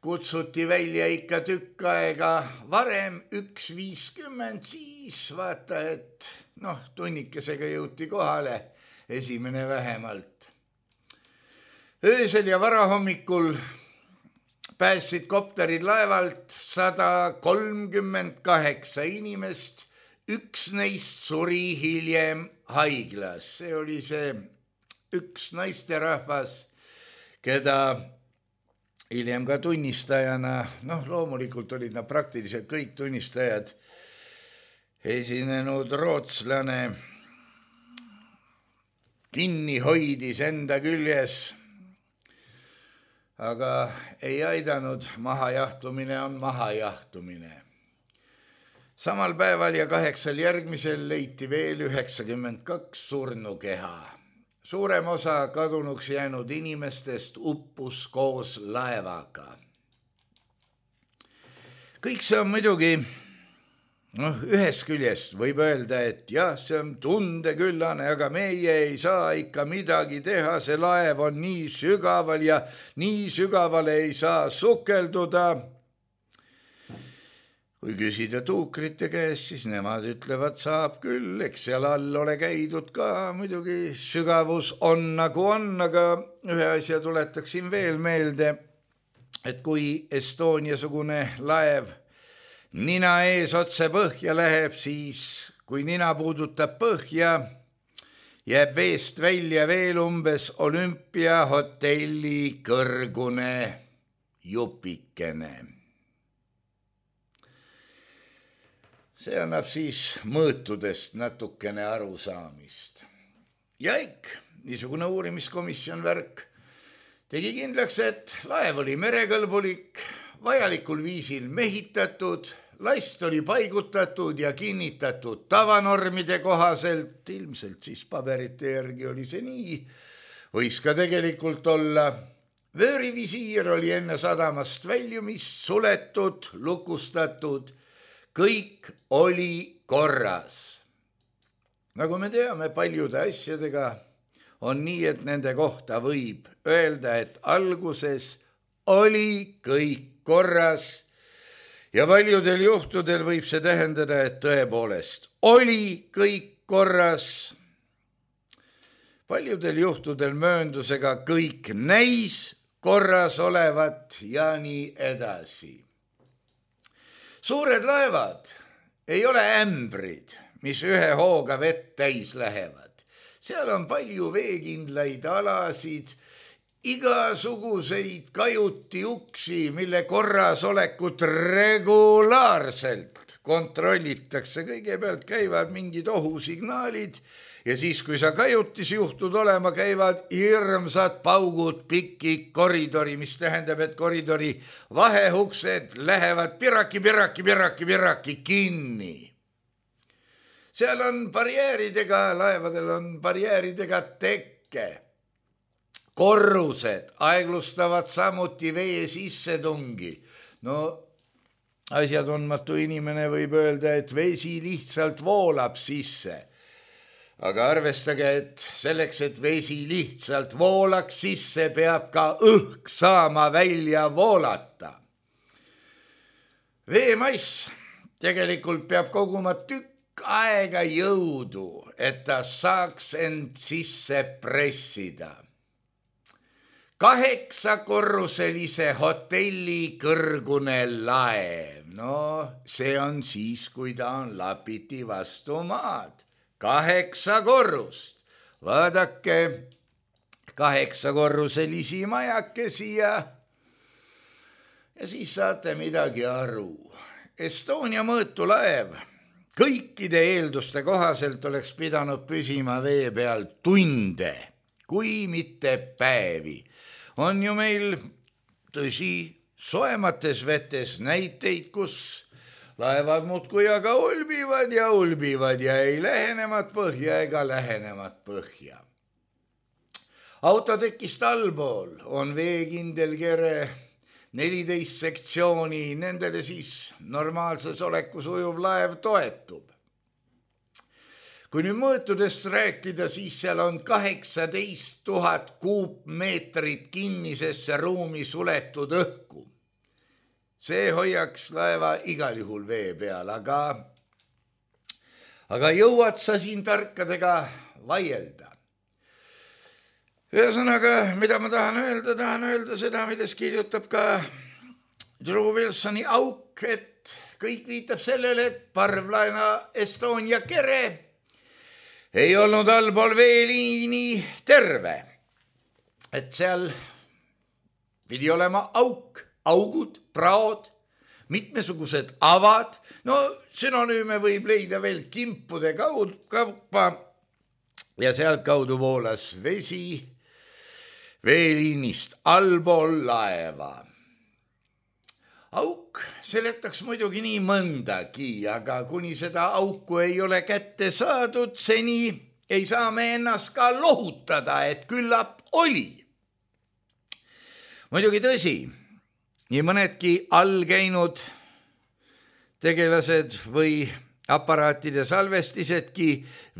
kutsuti välja ikka tükk aega varem, 1:50, siis vaata, et tunnikesega jõuti kohale, esimene vähemalt. Öösel ja varahommikul päästsid kopterid laevalt 138 inimest, 1 neist suri hiljem haiglas. See oli see 1 naisterahvas, keda hiljem ka tunnistajana, loomulikult olid nad praktiliselt kõik tunnistajad, esinenud rootslane kinni hoidis enda küljes, aga ei aidanud, mahajahtumine on mahajahtumine. Samal päeval ja 8 järgmisel leiti veel 92 surnukeha. Suurem osa kadunuks jäänud inimestest uppus koos laevaga. Kõik see on muidugi, ühest küljest võib öelda, et jah, see on tundeküllane, aga meie ei saa ikka midagi teha, see laev on nii sügaval ja nii sügavale ei saa sukelduda. Kui küsida tuukrite käest, siis nemad ütlevad, saab küll, eks seal all ole käidud ka, muidugi sügavus on nagu on, aga ühe asja tuletaksin veel meelde, et kui Estonia-sugune laev nina ees otse põhja läheb, siis kui nina puudutab põhja, jääb veest välja veel umbes Olümpiahotelli kõrgune jupikene. See annab siis mõõtudest natukene arusaamist. Ja niisugune uurimiskomisjon värk tegi kindlaks, et laev oli merekõlbulik, vajalikul viisil mehitatud, last oli paigutatud ja kinnitatud tavanormide kohaselt, ilmselt siis paberite järgi oli see nii, võis ka tegelikult olla. Vöörivisiir oli enne sadamast väljumist suletud, lukustatud, kõik oli korras. Nagu me teame, paljude asjadega on nii, et nende kohta võib öelda, et alguses oli kõik korras ja paljudel juhtudel võib see tähendada, et tõepoolest oli kõik korras. Paljudel juhtudel mööndusega kõik näis korras olevat ja nii edasi. Suured laevad ei ole ämbrid, mis ühe hooga vett täis lähevad. Seal on palju veekindlaid alasid, igasuguseid kajuti-uksi, mille korrasolekut regulaarselt kontrollitakse. Kõigepealt käivad mingid ohusignaalid ja siis, kui sa kajutis juhtud olema, käivad hirmsad paugud pikki koridori, mis tähendab, et koridori vahehuksed lähevad piraki kinni. Seal on barjääridega, laevadel on barjääridega tekke. Korrused aeglustavad samuti vee sissetungi. No, asjatundmatu inimene võib öelda, et vesi lihtsalt voolab sisse. Aga arvestage, et selleks, et vesi lihtsalt voolaks sisse, peab ka õhk saama välja voolata. Veemass tegelikult peab koguma tükk aega jõudu, et ta saaks end sisse pressida. 8-korruselise hotelli kõrgune laev. No, see on siis, kui ta on lapiti vastu maad. 8 korrust. Vaadake 8-korruselisi majakesi ja siis saate midagi aru. Estonia mõõtu laev kõikide eelduste kohaselt oleks pidanud püsima vee peal tunde, kui mitte päevi. On ju meil, tõsi, soemates vetes näiteid, kus laevad muudkui aga ulbivad ja ei lähenemat põhja ega lähenemat põhja. Autotekist allpool on veekindel kere 14 sektsiooni, nendele siis normaalses olekus ujuv laev toetub. Kui nüüd mõõtudest rääkida, siis seal on 18 000 kuupmeetrit kinnisesse ruumi suletud õhku. See hoiaks laeva igal juhul vee peal, aga jõuad sa siin tarkadega vaielda. Ühesõnaga, mida ma tahan öelda seda, milles kirjutab ka Drew Wilsoni auk, et kõik viitab sellele, et parvlaena Estonia kere ei olnud allpool veeliini terve. Et seal pidi olema auk, augud, praod, mitmesugused avad. No sünonüüme võib leida veel kimpude kaupa ja sealt kaudu voolas vesi veeliinist allpool laeva. Auk seletaks muidugi nii mõndagi, aga kuni seda auku ei ole kätte saadud, seni ei saa me ennast ka lohutada, et küllap oli. Muidugi tõsi, nii mõnedki all käinud tegelased või aparaatide salvestisedki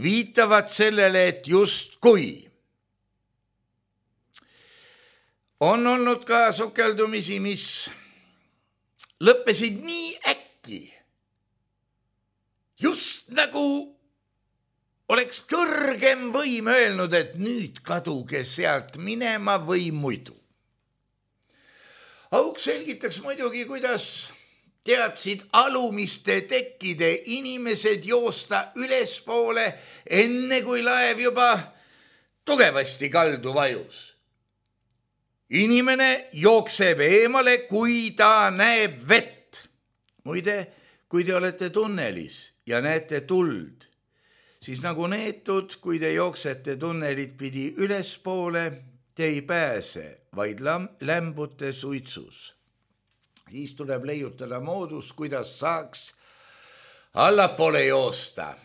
viitavad sellele, et just kui on olnud ka sukeldumisi, mis lõppesid nii äkki, just nagu oleks kõrgem võim öelnud, et nüüd kaduge sealt minema või muidu. Auk selgitaks muidugi, kuidas teadsid alumiste tekkide inimesed joosta ülespoole, enne kui laev juba tugevasti kaldu vajus. Inimene jookseb eemale, kui ta näeb vett. Muide, kui te olete tunnelis ja näete tuld, siis nagu neetud, kui te jooksete tunnelit pidi ülespoole, te ei pääse, vaid lämbute suitsus. Siis tuleb leiutada moodus, kuidas saaks allapoole joosta.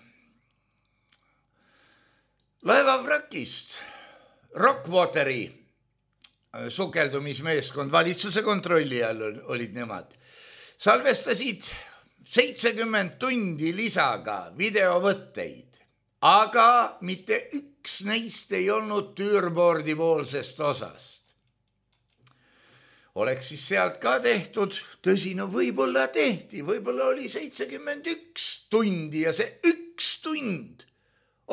Laevavrakist Rockwateri sukeldumismeeskond, valitsuse kontrolli all olid nemad, salvestasid 70 tundi lisaga videovõtteid, aga mitte üks neist ei olnud tüürboordi poolsest osast. Oleks siis sealt ka tehtud, tõsi, no võib-olla tehti, võib-olla oli 71 tundi ja see üks tund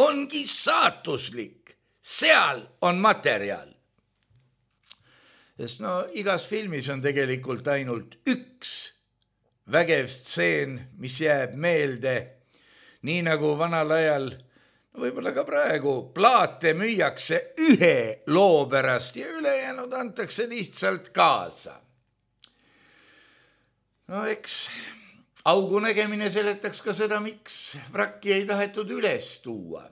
ongi saatuslik, seal on materjal. Sest igas filmis on tegelikult ainult üks vägev stseen, mis jääb meelde, nii nagu vanal ajal, võib-olla ka praegu, plaate müüakse ühe loo pärast ja ülejäänud antakse lihtsalt kaasa. Eks augu nägemine seletaks ka seda, miks vrakki ei tahetud üles tuua.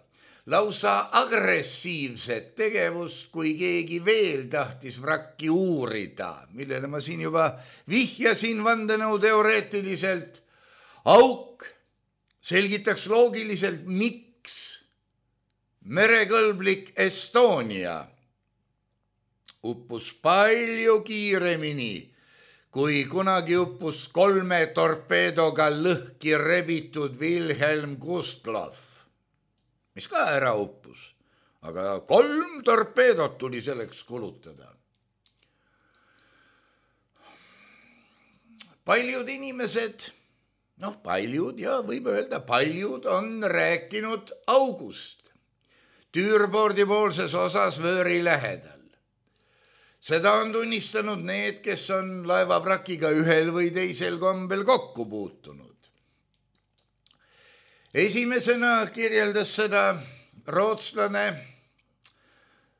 Lausa agressiivset tegevust, kui keegi veel tahtis vrakki uurida, millele ma siin juba vihjasin vandenõu teoreetiliselt. Auk selgitaks loogiliselt, miks merekõlblik Estonia uppus palju kiiremini, kui kunagi uppus 3 torpeedoga lõhki rebitud Wilhelm Gustloff, mis ka ära uppus, aga 3 torpeedot tuli selleks kulutada. Paljud inimesed, paljud ja võib öelda, paljud on rääkinud august tüürboordi poolses osas vööri lähedal. Seda on tunnistanud need, kes on laevavrakiga ühel või teisel kombel kokku puutunud. Esimesena kirjeldas seda rootslane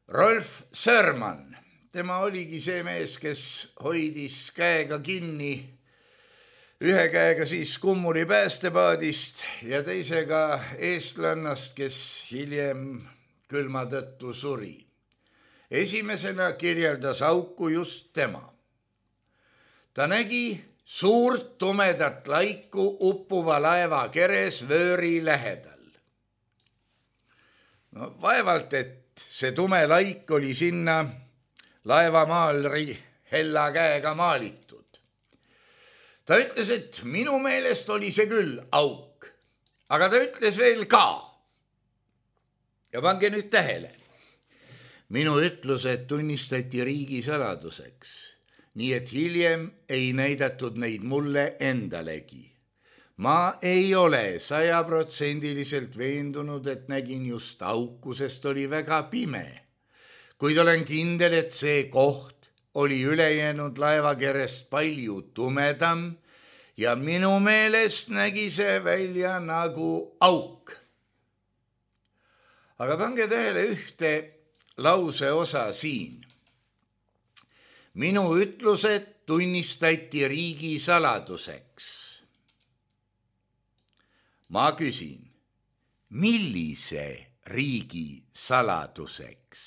Rolf Sörman. Tema oligi see mees, kes hoidis käega kinni, ühe käega siis kummuli päästepaadist ja teisega eestlannast, kes hiljem külma tõttu suri. Esimesena kirjeldas auku just tema. Ta nägi suurt tumedat laiku uppuva laeva keres vööri lähedal. Vaevalt, et see tume laik oli sinna laevamaalri hella käega maalitud. Ta ütles, et minu meelest oli see küll auk, aga ta ütles veel ka. Ja pange nüüd tähele. Minu ütlused tunnistati riigisaladuseks. Nii et hiljem ei näidatud neid mulle endalegi. Ma ei ole 100% veendunud, et nägin just auku, sest oli väga pime. Kuid olen kindel, et see koht oli ülejäänud laevakerest palju tumedam ja minu meelest nägi see välja nagu auk. Aga pange tähele ühte lause osa siin. Minu ütlused tunnistati riigisaladuseks. Ma küsin, millise riigisaladuseks?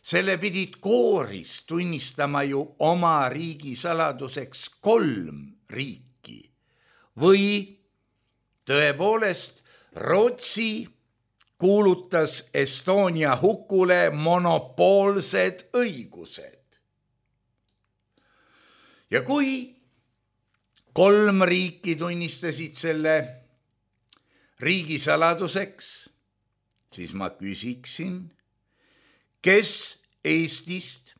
Selle pidid kooris tunnistama ju oma riigisaladuseks 3 riiki või tõepoolest Rootsi kuulutas Estonia hukule monopoolsed õigused. Ja kui 3 riiki tunnistasid selle riigisaladuseks, siis ma küsiksin, kes Eestist,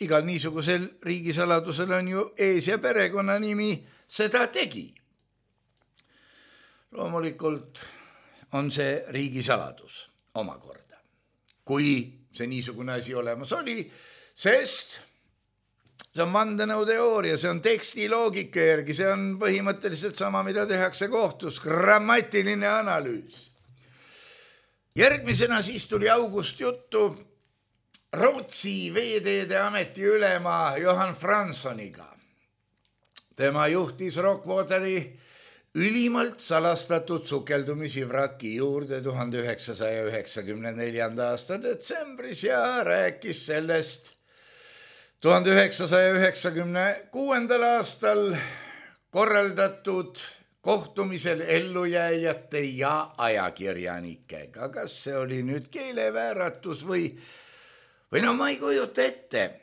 igal niisugusel riigisaladusel on ju ees- ja perekonnanimi, seda tegi. Loomulikult on see riigisaladus omakorda, kui see niisugune asi olemas oli, sest see on vandenõuteooria, see on tekstiloogika järgi, see on põhimõtteliselt sama, mida tehakse kohtus, grammatiline analüüs. Järgmisena siis tuli August juttu Rootsi veeteede ameti ülema Johan Franssoniga. Tema juhtis Rockwateri ülimalt salastatud sukeldumisi vraki juurde 1994. aasta detsembris ja rääkis sellest 1996. aastal korraldatud kohtumisel ellujääjate ja ajakirjanikega. Kas see oli nüüd keelevääratus või ma ei kujuta ette,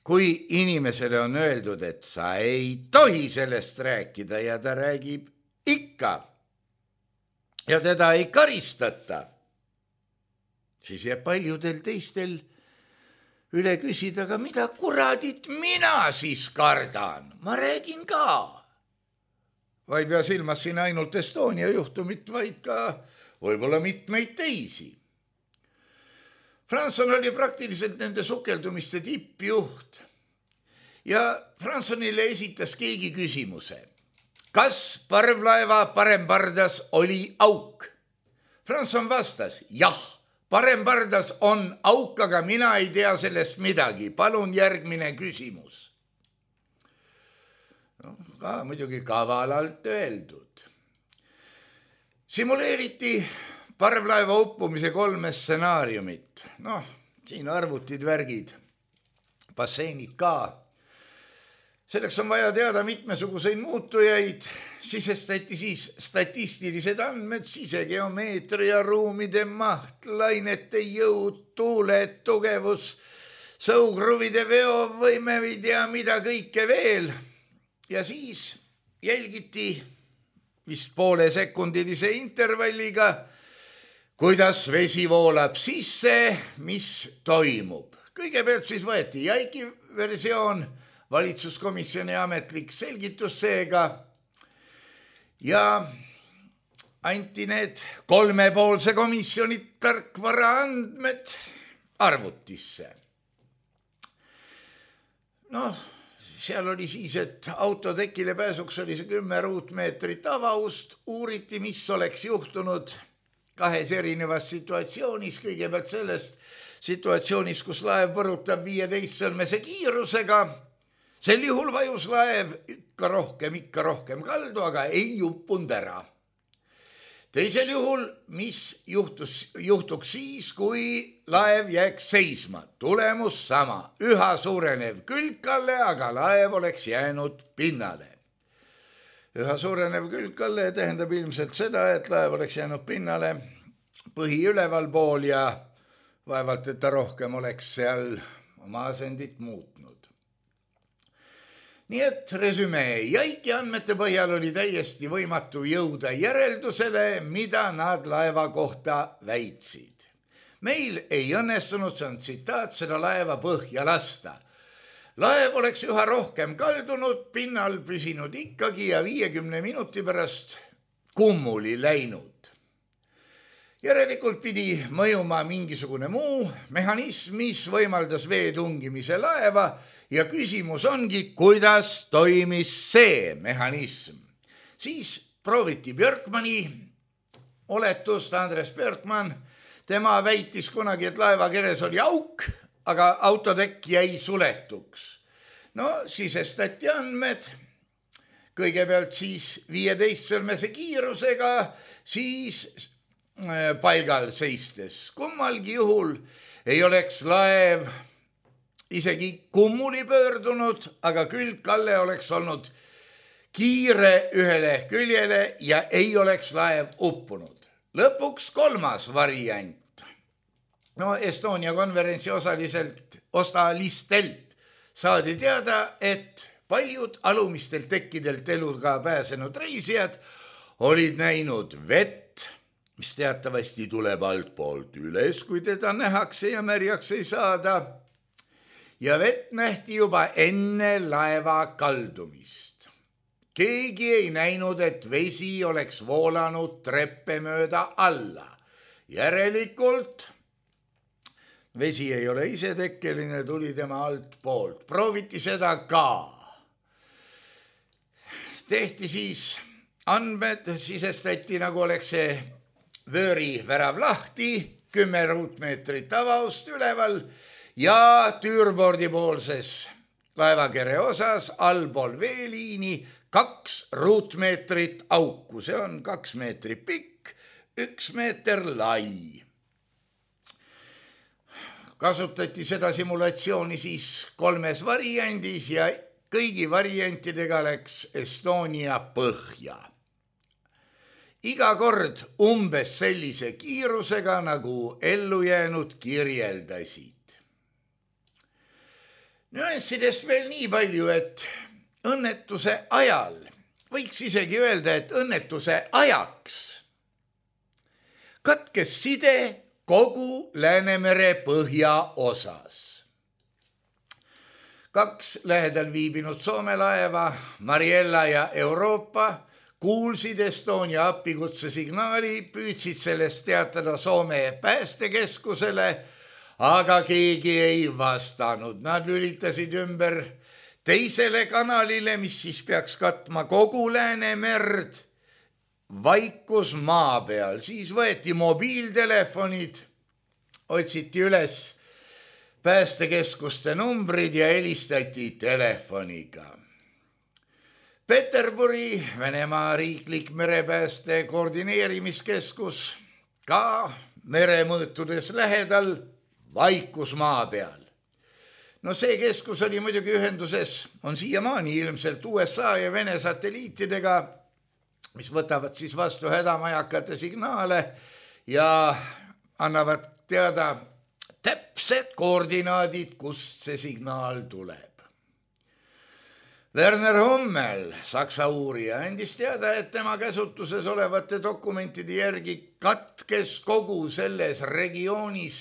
kui inimesele on öeldud, et sa ei tohi sellest rääkida ja ta räägib ikka ja teda ei karistata, siis jääb paljudel teistel üle küsida, aga mida kuradit mina siis kardan? Ma räägin ka. Ma ei pea silmas siin ainult Estonia juhtumit, vaid ka võib-olla mitmeid teisi. Fransson oli praktiliselt nende sukeldumiste tippjuht ja Franssonile esitas keegi küsimuse. Kas parvlaeva parempardas oli auk? Fransson vastas, jah, parempardas on auk, aga mina ei tea sellest midagi. Palun järgmine küsimus. Ka muidugi kavalalt öeldud. Simuleeriti parvlaeva uppumise 3 stsenaariumit. Siin arvutid, värgid, basseinid ka. Selleks on vaja teada mitmesuguseid muutujaid, sisestati siis statistilised andmed, sisegeomeetria, ruumide maht, lainete jõud, tuuled, tugevus, sõukruvide veovõime või tea mida kõike veel. Ja siis jälgiti vist poolesekundilise intervalliga, kuidas vesi voolab sisse, mis toimub. Kõigepealt siis võeti Jaiki versioon, valitsuskomisjoni ametlik selgitus seega ja anti need 3-poolse komisjoni tarkvara andmed arvutisse. Seal oli siis, et autotekile pääsuks oli see 10 ruutmeetrit avaust, uuriti, mis oleks juhtunud 2 erinevas situatsioonis, kõigepealt sellest situatsioonis, kus laev põrutab 15 sõlmese kiirusega. Sel juhul vajus laev ikka rohkem kaldu, aga ei uppunud ära. Teisel juhul, mis juhtuks siis, kui laev jääks seisma? Tulemus sama, üha suurenev külgkalle, aga laev oleks jäänud pinnale. Üha suurenev külgkalle tähendab ilmselt seda, et laev oleks jäänud pinnale põhi ülevalpool ja vaevalt, et ta rohkem oleks seal oma asendit muutnud. Nii et resümee, Jaiki andmete põhjal oli täiesti võimatu jõuda järeldusele, mida nad laeva kohta väitsid. Meil ei õnnestunud, see on tsitaat, seda laeva põhja lasta. Laev oleks üha rohkem kaldunud, pinnal püsinud ikkagi ja 50 minuti pärast kummuli läinud. Järelikult pidi mõjuma mingisugune muu mehhanism, mis võimaldas vee tungimise laeva ja küsimus ongi, kuidas toimis see mehhanism. Siis prooviti Björkmani oletust, Andres Björkman, tema väitis kunagi, et laeva keres oli auk, aga autotekk jäi suletuks. Sisestati andmed, kõigepealt siis 15 sõlmese kiirusega, siis paigal seistes. Kummalgi juhul ei oleks laev isegi kummuli pöördunud, aga külgkalle oleks olnud kiire ühele küljele ja ei oleks laev uppunud. Lõpuks 3. variant. No Estonia konverentsi osalistelt saadi teada, et paljud alumistelt tekkidelt eluga pääsenud reisijad olid näinud vett, mis teatavasti tuleb altpoolt üles, kui teda nähakse ja märjaks ei saada. Ja vett nähti juba enne laeva kaldumist. Keegi ei näinud, et vesi oleks voolanud treppe mööda alla. Järelikult vesi ei ole isetekkeline, tuli tema altpoolt. Prooviti seda ka. Tehti siis andmed, sisestati nagu oleks see vööri värav lahti, 10 ruutmeetrit avaust üleval ja tüürbordi poolses laevakere osas allpool veeliini 2 ruutmeetrit auku. See on 2 meetrit pikk, 1 meeter lai. Kasutati seda simulatsiooni siis 3 variandis ja kõigi variantidega läks Estonia põhja. Iga kord umbes sellise kiirusega, nagu ellujäänud kirjeldasid. Nüanssidest veel nii palju, et õnnetuse ajal, võiks isegi öelda, et õnnetuse ajaks katkes side kogu Läänemere põhjaosas. 2 lähedal viibinud Soome laeva, Mariella ja Euroopa, kuulsid Estonia appikutse signaali, püüdsid sellest teatada Soome päästekeskusele, aga keegi ei vastanud. Nad lülitasid ümber teisele kanalile, mis siis peaks katma kogu Läänemerd, vaikus maa peal. Siis võeti mobiiltelefonid, otsiti üles päästekeskuste numbrid ja helistati telefoniga. Peterburi, Venemaa riiklik merepääste koordineerimiskeskus, ka meremõõtudes lähedal, vaikus maa peal. No see keskus oli muidugi ühenduses, on siiamaani ilmselt USA ja Vene satelliitidega, mis võtavad siis vastu hädamajakate signaale ja annavad teada täpsed koordinaadid, kust see signaal tuleb. Werner Hummel, Saksa uurija, andis teada, et tema käsutuses olevate dokumentide järgi katkes kogu selles regioonis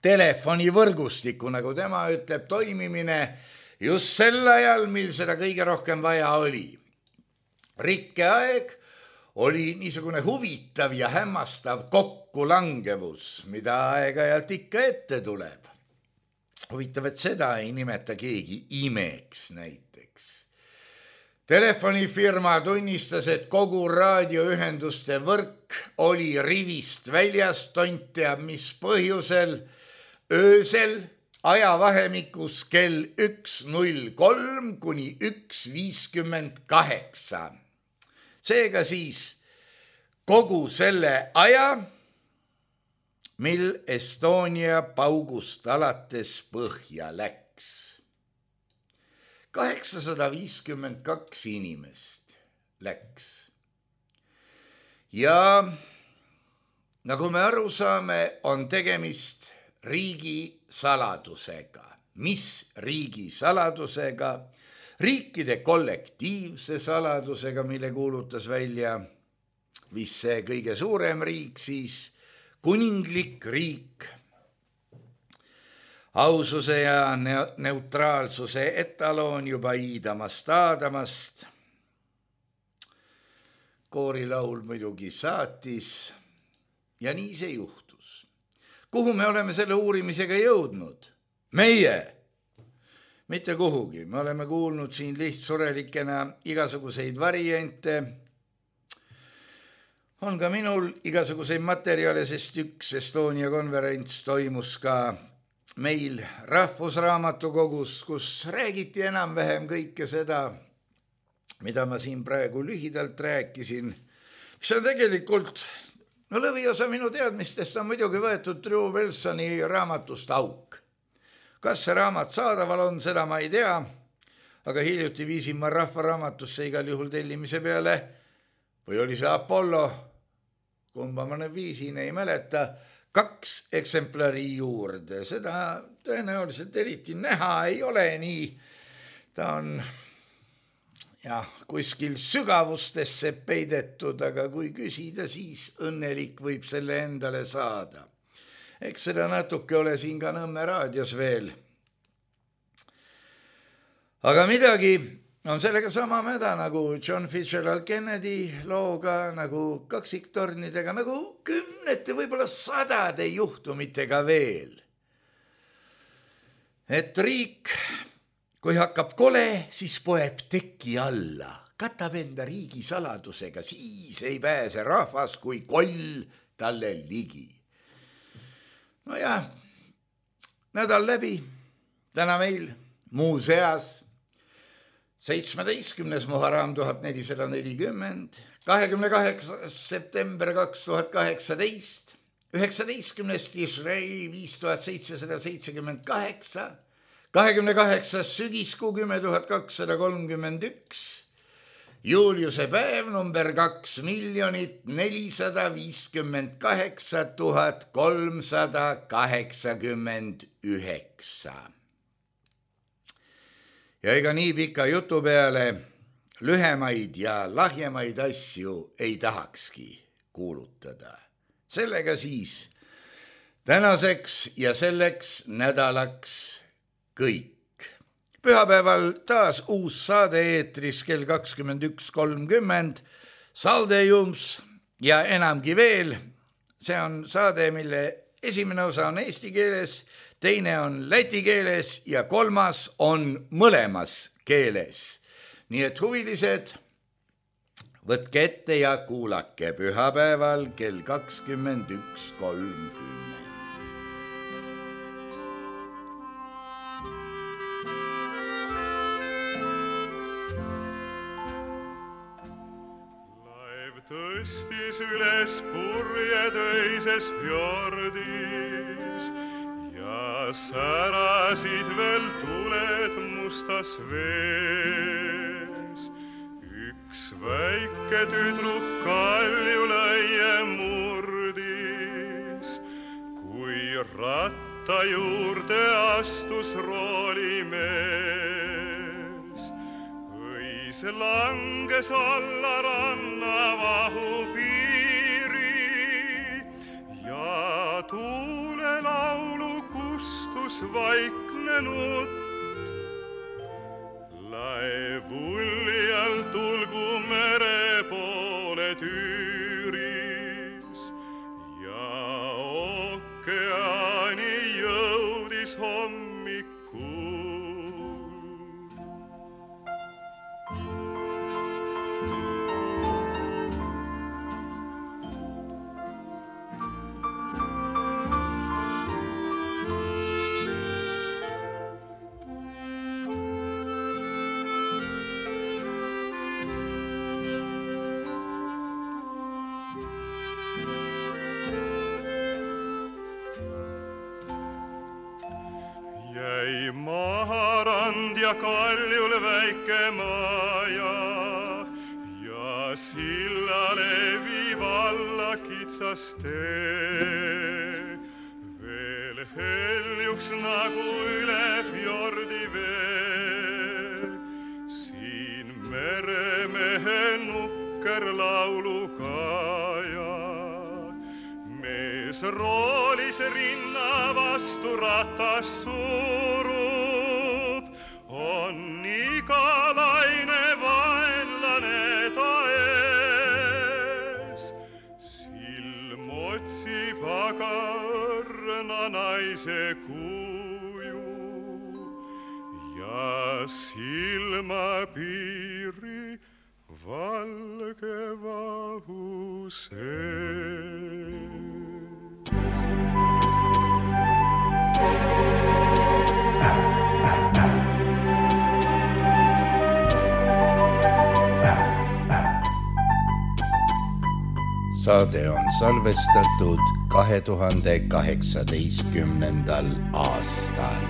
telefonivõrgustiku, nagu tema ütleb, toimimine just sel ajal, mil seda kõige rohkem vaja oli. Rikkeaeg oli niisugune huvitav ja hämmastav kokkulangevus, mida aeg-ajalt ikka ette tuleb. Huvitav, et seda ei nimeta keegi imeks näiteks. Telefonifirma tunnistas, et kogu raadioühenduste võrk oli rivist väljas, tont teab mis põhjusel, öösel ajavahemikus kell 1.03 kuni 1.58. Seega siis kogu selle aja, mil Estonia paugust alates põhja läks. 852 inimest läks. Ja nagu me aru saame, on tegemist riigi saladusega. Mis riigi saladusega? Riikide kollektiivse saladusega, mille kuulutas välja vist see kõige suurem riik, siis kuninglik riik. Aususe ja neutraalsuse etaloon juba iidamast aadamast. Koorilaul muidugi saatis ja nii see juhtus. Kuhu me oleme selle uurimisega jõudnud? Meie! Mitte kuhugi. Me oleme kuulnud siin lihtsurelikena igasuguseid variante. On ka minul igasuguseid materjale, sest üks Estonia konverents toimus ka meil Rahvusraamatukogus, kus räägiti enam-vähem kõike seda, mida ma siin praegu lühidalt rääkisin, mis on tegelikult, no lõviosa minu teadmistest on muidugi võetud Drew Wilsoni raamatust Auk. Kas see raamat saadaval on, seda ma ei tea, aga hiljuti viisin ma Rahvaraamatusse igal juhul tellimise peale, või oli see Apollo, kumba ma nüüd viisin, ei mäleta, 2 eksemplari juurde. Seda tõenäoliselt eriti näha ei ole nii. Ta on kuskil sügavustesse peidetud, aga kui küsida, siis õnnelik võib selle endale saada. Eks seda natuke ole siin ka Nõmme raadios veel. Aga midagi on sellega sama mäda nagu John Fitzgerald Kennedy looga, nagu kaksiktornidega, nagu 10, võib-olla 100 juhtumitega veel. Et riik, kui hakkab kole, siis poeb teki alla, katab enda riigi saladusega, siis ei pääse rahvas, kui koll talle ligi. No ja, nädal läbi, täna meil muuseas 17. Muharram 1440, 28. september 2018, 19. Tishrei 5778, 28. sügiskuu 10.231, Juliuse päev number 2,458,389. Ja ega nii pika jutu peale lühemaid ja lahjemaid asju ei tahakski kuulutada. Sellega siis tänaseks ja selleks nädalaks kõik. Pühapäeval taas uus saade eetris kell 21.30, Saldejums ja enamgi veel. See on saade, mille esimene osa on eesti keeles, teine on läti keeles ja kolmas on mõlemas keeles. Nii et huvilised, võtke ette ja kuulake pühapäeval kell 21.30. Tõstis üles purjetöises fjordis ja särasid veel tuled mustas vees. Üks väike tüdruk kaljulaie murdis, kui ratta juurde astus roolimees. Õis langes alla ranna vahupiiri ja tuulelaulu kustus vaikne nutt. Laev uljal tulgu mere poole tüüris ja ookeani jõudis hommikul. Jäi maharand ja kaljul väike maja ja sillale viib alla kitsas tee. Veel heljuks nagu üle fjordi vee, siin meremehe nukker laulukaja. Mees roolis rinna vastu ratas surub, on iga laine vaenlane ta ees. Silm otsib aga õrna naise kuju ja silmapiiri valge vahu sees. Saade on salvestatud 2018. aastal.